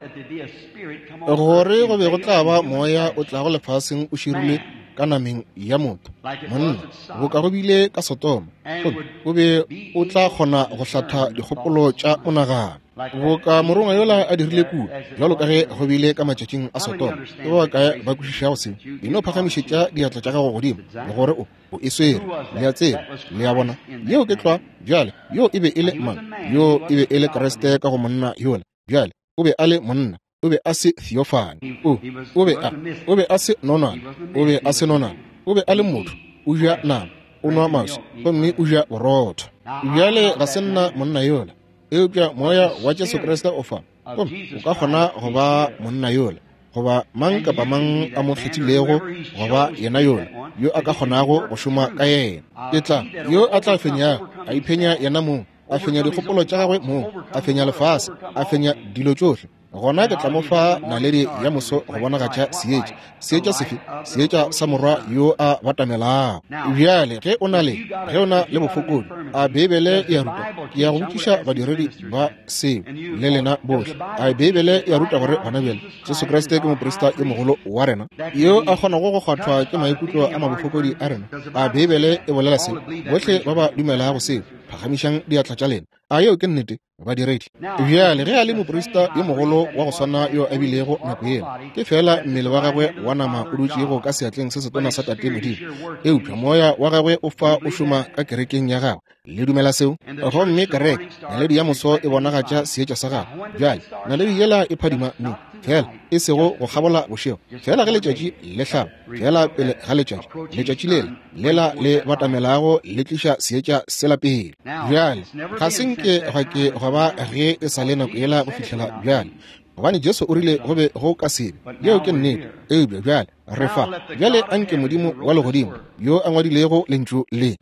gore go be go tla ba moya o tlago lefaseng o širilwe ka nameng ya motho, monna, boka go bile ka Sodoma, gomme o be o tla kgona go hlatha dikgopolo tša monagano, boka morongwa yola a dirile kua, bjalo ka ge go bile ka matšatšing a Sodoma. Ke ba bakae ba kwešišago seo? E no phagamišetša diatla tša gago godimo, gore o o e swere. Le a tseba, le a bona, yeo ke tlwa. Bjale, yo e be e le mang? Yo e be e le Kriste ka go monna yola. Bjale, o be a le monna, o be a se theophany. O, o be a, o be a se nonwane, o be a se nonwane. O be a le motho, o ja nama, o nwa maswi, gomme o ja borotho. Bjale, ga se nna monna yola, eupša Moya wa Jesu Kriste o fa, gomme o ka kgona go ba monna yola, goba mang kapa mang a mo kgethilego go ba yena yola, yo a ka kgonago go šoma ka yena. Ke tla, yo a tla fenyago, a iphenya yena mong, a fenya dikgopolo tša gagwe mong, a fenya lefase, a fenya dilo tšohle, gona ke tla mo fa naledi ya moso go bonagatša seetša. Seetša sefe? Seetša sa morwa yo a batamelago. Bjale, ge o na le, ge o na le bofokodi, a Beibele e a ruta? Ke ya go botšiša badiredi ba seo le lena bohle. A Beibele e a ruta gore gona bjale Jesu Kriste ke moprista yo mogolo wa rena, yo a kgonago go kgwathwa ke maikutlo a mabofokodi a rena? A Beibele e bolela seo? Bohle ba ba dumelago seo, phagamišang diatla tša lena. A yeo ke nnete, badiredi? Bjale, ge a le moprista yo mogolo wa go swana yo a bilego nako yela, ke feela mmele wa gagwe wa nama o dutšego ka seatleng se setona sa Tate Modimo, eupša moya wa gagwe o fa o šoma ka kerekeng ya gagwe. Le dumela seo? Gomme kereke, naledi ya moso e bonagatša seetša sa gagwe. Bjale, naledi yela e phadima neng? Fela e sego go kgabola bošego, fela ge letšatši le hlaba, fela pele ga letšatši, letšatši lela lela le batamelago le tliša seetša sela pele. Bjale ga se nke gwa ke gwa ba ge e sa le nako yela go fihlela bjale, gobane Jesu o rile go be go ka se be. Yeo ke nnete. Eupša bjale re fa. Bjale anke Modimo wa legodimo, yo a ngwadilego Lentšu le,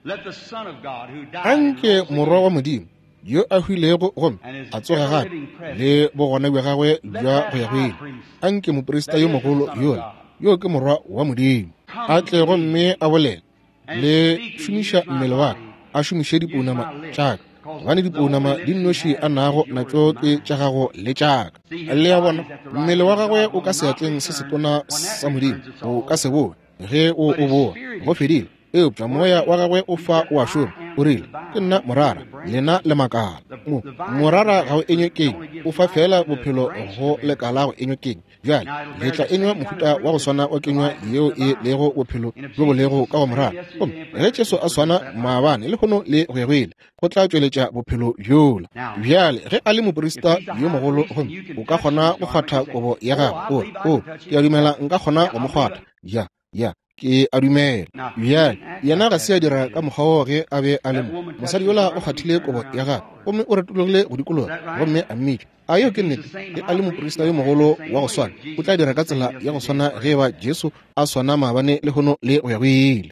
anke Morwa wa Modimo yo a hwilego gomme a tsoga gape le bogona bja gagwe bja go ya go ile, anke moprista yo mogolo yola, yo ke Morwa wa Modimo, a tle gomme a bolele le šomiša mmele wa ka, a šomiše dipounama tša ka, gobane dipounama di nnoši a nago natšo ke tša gago le tša ka. Le a bona, mmele wa gagwe o ka seatleng se setona sa Modimo, o ka se boe ge o o boa, go fedile. Eupša moya wa gagwe o fa o a šoma. O rile, Ke nna morara, lena le makala. Mo, morara ga o enywe keng, o fa feela bophelo go lekala go enywe keng. Bjale le tla enywa mohuta wa go swana wa kenywa yeo e lego bophelo bjo bo lego ka go morara. Gomme ge Jesu a swana maabane, lehono le go ya go ile, go tla tšweletša bophelo bjola. Bjale ge a le moprista yo mogolo, gomme o ka kgona go kgwatha kobo ya gagwe, o re, O, ke a dumela nka kgona go mo kgwatha. Ya, ya, ke a dumela. Bjale yena ga se a dira ka mokgwa woo ge a be a le mo. Mosadi yola o kgwathile kobo ya gagwe, gomme o retologile go dikologa gomme a mmitša. A yeo ke nnete? Ge a le moprista yo mogolo wa go swana, o tla dira ka tsela ya go swana ge e ba Jesu a swana maabane, lehono le go ya go ile.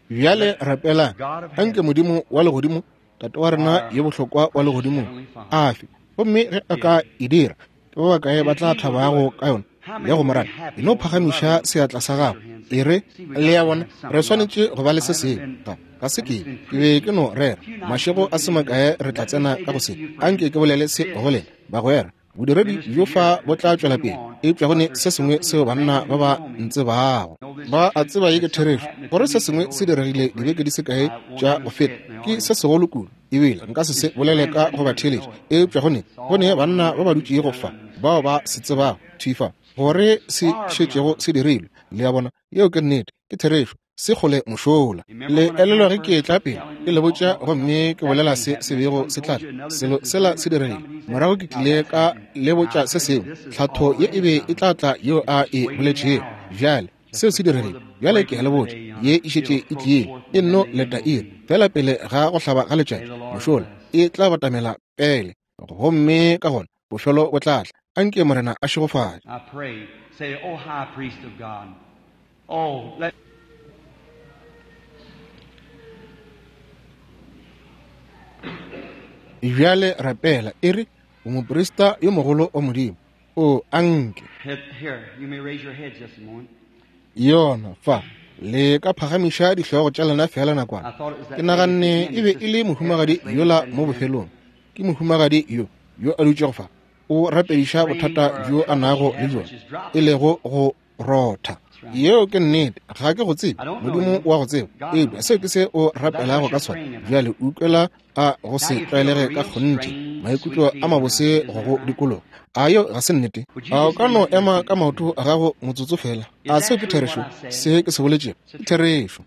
Bjale rapelang. Anke Modimo wa legodimo, Tate wa rena yo bohlokwa wa legodimong, a fe. Gomme ge a ka e dira, ke ba bakae ba tla thabago ka yona ya go mo rata? E no phagamiša seatla sa gago, e re, Le a bona, re swanetše go ba le se sengwe. Ga, ga se ke, ke be ke no rera. Mašego a se makae re tla tsena ka go se. Anke ke bolele se go lena, bagwera. Bodiredi bjo fa bo tla tšwela pele, eupša go ne se sengwe seo banna ba ba ntsebago ba a tseba ye ke therešo, gore se sengwe se diregile dibeke di se kae tša go feta, ke se segolo kudu, ebile nka se se bolele ka go ba theeletša, eupša go ne, go ne banna ba ba dutšego fa bao ba se tsebago thwi fa gore se šetšego se dirilwe. Le a bona, yeo ke nnete, ke therešo. Se kgole mošola. Le elelwa ge ke etla pele ke le botša gomme ke bolela se se bego se tla tla, selo sela se diregile. Morago ke tlile ka le botša se sengwe, tlhatho ye e be e tla tla yeo a e boletšego. Bjale seo se diregile. Bjale ke a le botša, ye e šetše e tlile, e nno leta iri feela pele ga go hlaba ga letšatši mošola, e tla batamela pele, gomme ka gona bofelo bo tla tla. Anke Morena a šegofatše. I pray, say, O high priest of God, oh, let. Bjale rapela, e re, O moprista yo mogolo wa Modimo, o anke. Here, you may raise your heads just a moment. Yona fa, le ka phagamiša dihlogo tša lena feela nakwana. Ke naganne e be e le mohumagadi yola mo bofelong. Ke mohumagadi yo, yo a dutšego fa, o rapediša bothata bjo a nago le bjona, e lego go rotha. Yeo ke nnete. Ga ke go tsebe, Modimo wa go tseba. Eupša seo ke se o rapelago ka sona. Bjale utlwela a go se tlwaelege ka kgonthe, maikutlo a mabose go go dikologa. A yeo ga se nnete? A o ka no ema ka maoto a gago motsotso feela? A seo ke therešo? Se ke se boletšego ke therešo.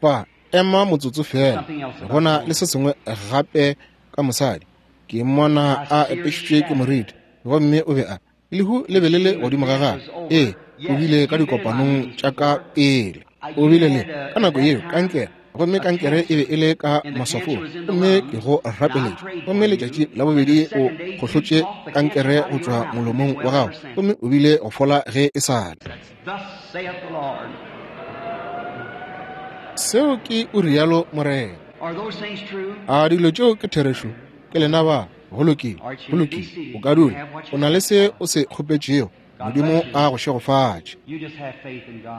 Fa, ema motsotso feela. Go na le se sengwe gape ka mosadi. Ke mmona a apešitšwe ke moriti, gomme o be a lehu le be le le godimo ga gagwe. Ee, o bile ka dikopanong tša ka pele. O bile le ka nako yeo kankere, gomme kankere e be e le ka maswafong, gomme ke go rapeletše. Gomme letšatši la bobedi o gohlotše kankere go tšwa molomong wa gago, gomme o bile go fola ge e sa le. Seo ke o rialo Morena. A dilo tšeo ke therešo? Ke lena ba. Go lokile, go lokile. O ka dula. O na le se o se kgopetšego. Modimo a go šegofatše.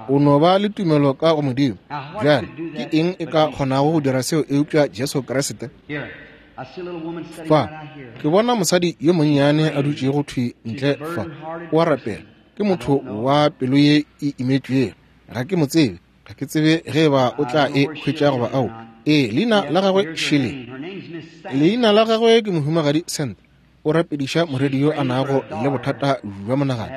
O no ba le tumelo ka go Modimo. Bjale, ke eng e ka kgonago go dira seo eupša Jesu Kriste? Fa, ke bona mosadi yo monnyane a dutšego thwi ntle fa. O a rapela. Ke motho wa pelo ye e imetšwego. Ga ke mo tsebe. Ga ke tsebe ge eba o tla e hwetša goba ao. Ee, leina la gagwe šele. Leina la gagwe ke Mohumagadi Sand. O rapediša morwedi yo a nago le bothata bja monagano.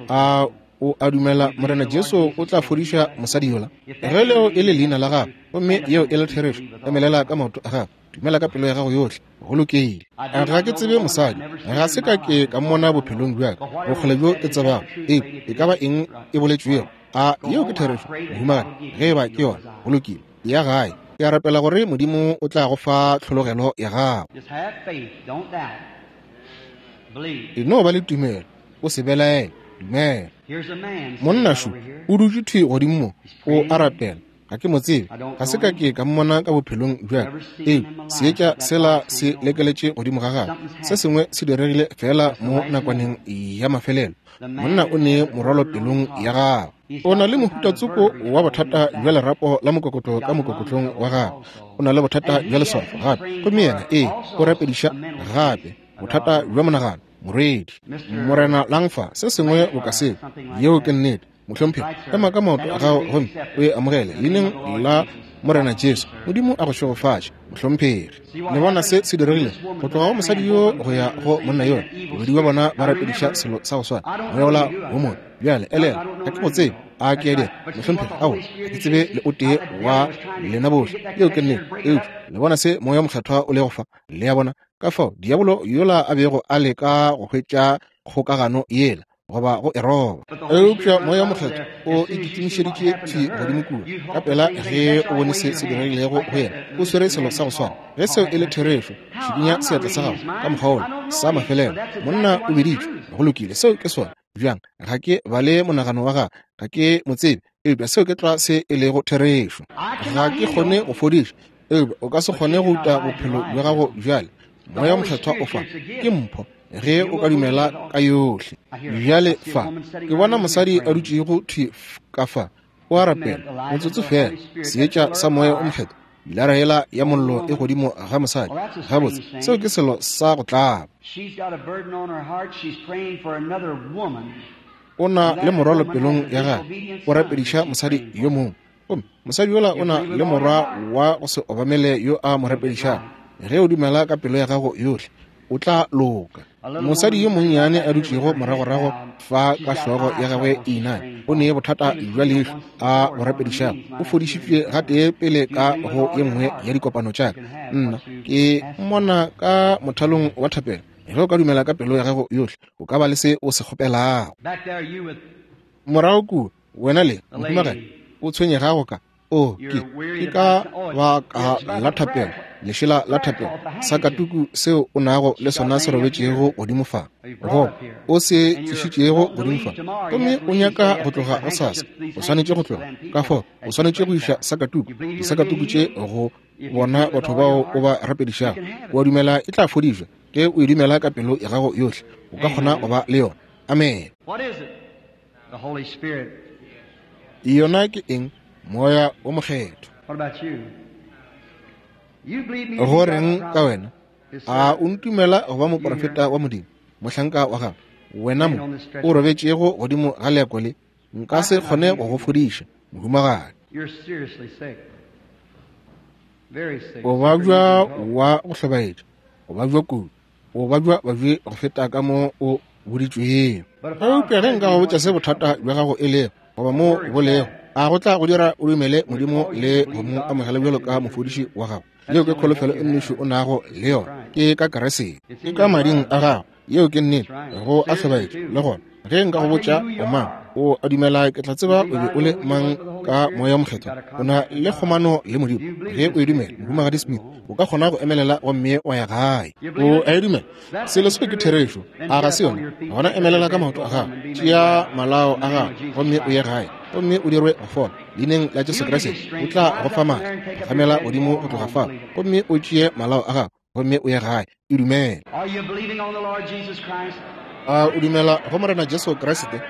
A O a dumela Morena Jesu o tla fodiša mosadi yola? Ge leo e le leina la gago, gomme yeo e le therešo, emelela ka maoto a gago, dumela ka pelo ya gago yohle. Go lokile. Ga ke tsebe mosadi, ga se ka ke ka mmona bophelong bja ka, bokgole bjo ke tsebago. Ee, e ka ba eng e boletšwego? A yeo ke therešo, mohumagadi? Ge e ba ke yona, go lokile. Ya gae. Ke a rapela gore Modimo o tla go fa tlhologelo ya gago. E no ba le tumelo, o se belaele, dumela. Monna šo o dutše thwi godimo mo, o a rapela. Ga ke mo tsebe, ga se ka ke ka mmona ka bophelong bja ka. Ee, seetša sela se lekeletše godimo ga gagwe. Se sengwe se diregile feela mo nakwaneng ya mafelelo. Monna o ne morwalo pelong ya gagwe. O na le mohuta tsoko wa bothata bja lerapo la mokokotlo ka mokokotlong wa gagwe. O na le bothata bja leswafo gape. Gomme yena, ee, o rapediša gape bothata bja monagano, morwedi. Morena Langfa, se sengwe boka seo. Yeo ke nnete. Mohlomphegi, ema ka maoto a gago gomme o e amogele leineng la Morena Jesu. Modimo a go šegofatše, mohlomphegi. Le bona se se diregile go tloga go mosadi yo go ya go monna yola. Bobedi bja bona ba rapediša selo sa go swana, moya wola wo mobe. Bjale elela, ga ke go tsebe. A ke a dira, mohlomphegi? Aowa, ga ke tsebe le o tee wa lena bohle. Yeo ke nnete. Eupša le bona se Moya wo Mokgethwa o lego fa. Le a bona? Ka fao diabolo yola a bego a leka go hwetša kgokagano yela, goba go e roba. Eupša Moya wo Mokgethwa o e kitimišeditše thwi godimo kua, ka pela ge o bone se se diregilego go yena. O swere selo sa go swana. Ge seo e le therešo, šikinya seatla sa gago ka mokgwa wola, sa mafelelo. Monna o biditšwe. Go lokile, seo ke sona. Bjang? Ga ke bale monagano wa gagwe, ga ke mo tsebe, eupša seo ke tlwa se e lego therešo. Ga ke kgone go fodiša, eupša o ka se kgone go uta bophelo bja gago bjale. Moya wo Mokgethwa o fa, ke mpho, ge o ka dumela ka yohle. Bjale fa ke bona mosadi a dutšego thwi ka fa, o a rapela, motsotso feela, seetša sa Moya wo Mokgethwa, pilara yela ya mollo e godimo ga mosadi. Gabotse, seo ke selo sa go tlaba. O na le morwalo pelong ya gagwe, o rapediša mosadi yo mongwe. Gomme mosadi yola o na le morwa wa go se obamele yo a mo rapedišago. Ge o dumela ka pelo ya gago yohle, o tla loka. Mosadi yo monnyane a dutšego moragorago fa ka hlogo ya gagwe e iname, o ne bothata bja leihlo a bo rapedišago. O fodišitšwe gatee pele ka go ye nngwe ya dikopano tša ka. Nna ke mmona ka mothalong wa thapelo. Ge o ka dumela ka pelo ya gago yohle, o ka ba le se o se kgopelago. Morago kua, wena le mohumagadi o tshwenyegago ka o ke ke ka baka la thapelo, lešela la thapelo, sakatuku seo o nago le sona se robetšego godimo fa, goba o se tlišitšego godimo fa, gomme o nyaka go tloga gosasa, o swanetše go tloga. Ka fao o swanetše go iša sakatuku, disakatuku tše go bona batho bao o ba rapedišago. O a dumela e tla fodišwa? Ge o e dumela ka pelo ya gago yohle, o ka kgona go ba le yona. Amene. Yona ke eng? Moya wo Mokgethwa. Go reng ka wena? A o ntumela go ba moprofeta wa Modimo, mohlanka wa gagwe? Wena mo o robetšego godimo ga leako le, nka se kgone go go fodiša, mohumagadi. O babja wa go hlobaetša, o babja kudu. O babja babje go feta ka mo o boditšwego. Eupša ge nka go botša se bothata bja gago e lego, goba mo bo lego, a go tla go dira o dumele Modimo le go mo amogela bjalo ka mofodiši wa gago? Yeo ke kholofelo e nnoši o nago le yona, ke ka Keresete, ke ka mading a gago. Yeo ke nnete, go a hlobaetša le gona. Ge nka go botša o mang, o a dumela ke tla tseba o be o le mang ka Moya wo Mokgethwa. O na le kgomano le Modimo. Ge o e dumela, Mohumagadi Smith, o ka kgona go emelela gomme wa ya gae. O a e dumela? Selo seo ke therešo, a ga se yona? Gona emelela ka maoto a gago, tšea malao a gago gomme o ye gae, gomme o dirwe go fola. Leineng la Jesu Kriste, o tla go fa maatla go gamela godimo go tloga fao, gomme o tšee malao a gago gomme o ye gae. E dumela. A o dumela go Morena Jesu Kriste?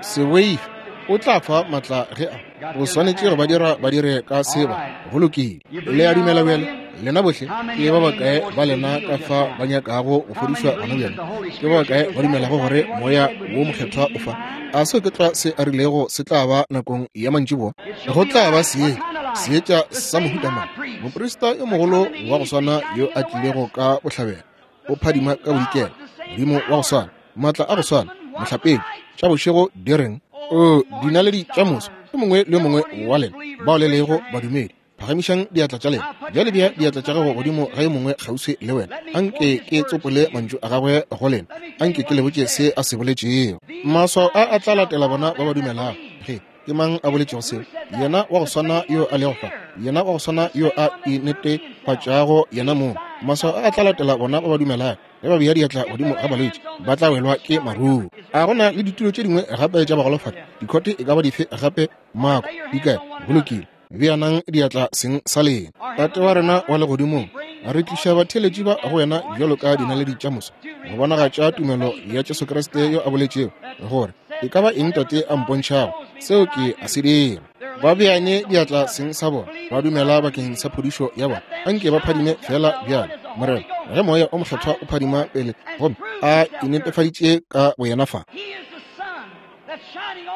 Se boife, o tla fa maatla ge a o swanetše go ba dira ba dire ka seba. Go lokile. Le a dumela bjale? Lena bohle, ke ba bakae ba lena ka fa ba nyakago go fodišwa gona bjale? Ke ba bakae ba dumelago gore Moya wo Mokgethwa o fa? A seo ke tlwa se a rilego se tla ba nakong ya mantšiboa? Go tla ba seetša, seetša sa mohuta mang? Moprista yo mogolo wa go swana yo a tlilego ka bohlabela, o phadima ka bodikela, Modimo wa go swana. Maatla a go swana, mohlapetši, tša bošego di reng? O, dinaledi tša moso, yo mongwe le yo mongwe wa lena bao le lego badumedi, phagamišang diatla tša lena. Bjale bea diatla tša gago godimo ga yo mongwe kgauswi le wena. Anke ke tsopole mantšu a gagwe go lena. Anke ke le botše se a se boletšego. Maswao a a tla latela bona ba ba dumelago. Ge ke mang a boletšego seo? Yena wa go swana yo a lego fa, yena wa go swana yo a inetefatšago yena mong. Maswao a a tla latela bona ba ba dumelago. Ge ba bea diatla godimo ga balwetši, ba tla welwa ke maruo. A go na le ditulo tše dingwe gape tša bagolofadi? Dikhote e ka ba dife gape? Mako di kae? Go lokile. Beanang diatla seng sa lena. Tate wa rena wa legodimong, re tliša batheeletši ba go wena bjalo ka dinaledi tša moso, go bonagatša tumelo ya Jesu Kriste yo a boletšego gore e ka ba eng Tate a mpontšhago, seo ke a se dira. Ba beane diatla seng sa bona, ba dumela bakeng sa phodišo ya bona. Anke ba phadime feela bjalo, Morena, ge Moya o Mokgethwa o phadima pele gomme a inetefaditše ka boyena fa.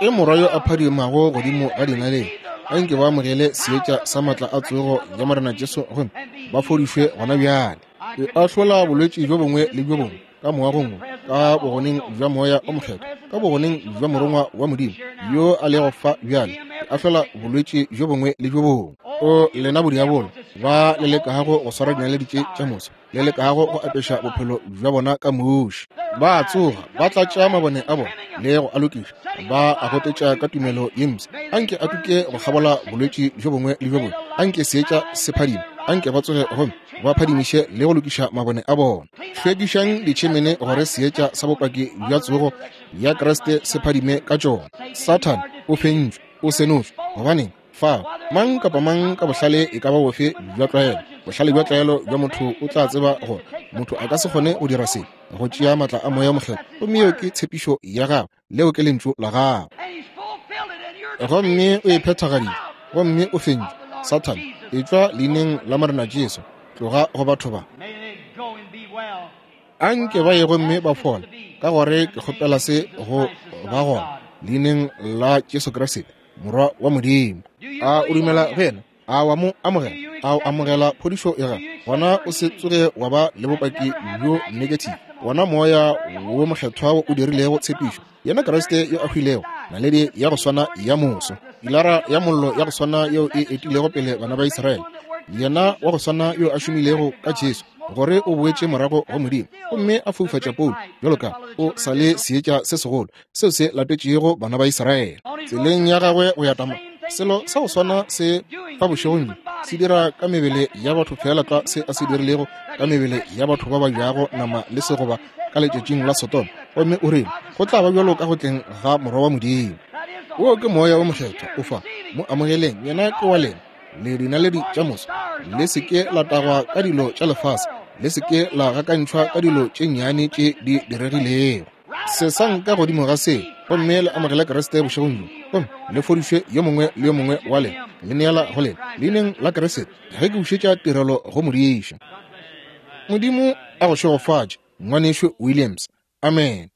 E Morwa yo a phadimago godimo ga dinaledi, anke ba amogele seetša sa matla a tsogo ya Morena Jesu gomme ba fodišwe gona bjale. E ahlola bolwetši bjo bongwe le bjo bongwe ka moagong wo, ka bogoneng bja Moya o Mokgethwa, ka bogoneng bja Morongwa wa Modimo yo a lego fa bjale. E ahlola bolwetši bjo bongwe le bjo bongwe. O lena bodiabolo ba le lekago go swara dinaledi tše tša moso, le lekago go apeša bophelo bja bona ka muši. Ba a tsoga, ba tlatša mabone a bona le go a lokiša, ba a gotetša ka tumelo ye mpsha. Anke a tuke go kgabola bolwetši bjo bongwe le bjo bongwe, anke seetša se phadime, anke ba tsoge gomme ba phadimiše le go lokiša mabone a bona. Hlwekišang ditšhemene gore seetša sa bopaki bja tsogo ya Kriste se phadime ka tšona. Sathane o fentšwe, o senotšwe. Gobaneng? Fao, mang kapa mang ka bohlale e ka ba bofe bja tlwaelo, bohlale bja tlwaelo bja motho o tla tseba gore motho a ka se kgone go dira se, go tšea matla a Moya Mokgethwa. Gomme yeo ke tshepišo ya Gagwe, leo ke Lentšu la Gagwe. Gomme o e phethagaditše, gomme o fentše. Sathane, etšwa Leineng la Morena Jesu, tloga go batho ba. A nke ba ye gomme ba fole, ka gore ke kgopela se go ba gona, Leineng la Jesu Kriste. Morwa wa Modimo. A o dumela go yena? A wa mo amogela? A o amogela phodišo ya gagwe? Gona o se tsoge wa ba le bopaki bjo negative. Wona Moya wo Mokgethwa wo o dirilego tshepišo, yena Kriste yo a hwilego, naledi ya go swana ya moso, pilara ya mollo ya go swana yeo e etilego pele bana ba Israele, yena wa go swana yo a šomilego ka Jesu, gore o boetše morago go Modimo gomme a foufatša Paulo bjalo ka o sa le seetša se segolo seo se latetšego bana ba Israele tseleng ya gagwe go ya Tama. Selo sa go swana se fa bošegong bjo se dira ka mebele ya batho feela tlwa se a se dirilego ka mebele ya batho ba ba jago nama le segoba ka letšatšing la Sodoma. Gomme o rile go tla ba bjalo ka go tleng ga Morwa wa Modimo. Wo ke Moya wo Mokgethwa o fa, mo amogeleng, yena ke wa lena. Le dinaledi tša moso, le se ke la tagwa ka dilo tša lefase, le se ke la gakantšhwa ka dilo tše nnyane tše di diregilego. Sesang ka godimo ga se gomme le amogele Kriste bošegong bjo, gomme le fodišwe yo mongwe le yo mongwe wa lena. Le neela go lena leineng la Kriste ge ke bušetša tirelo go modiša. Modimo a go šegofatše, Ngwanešu Williams. Amene.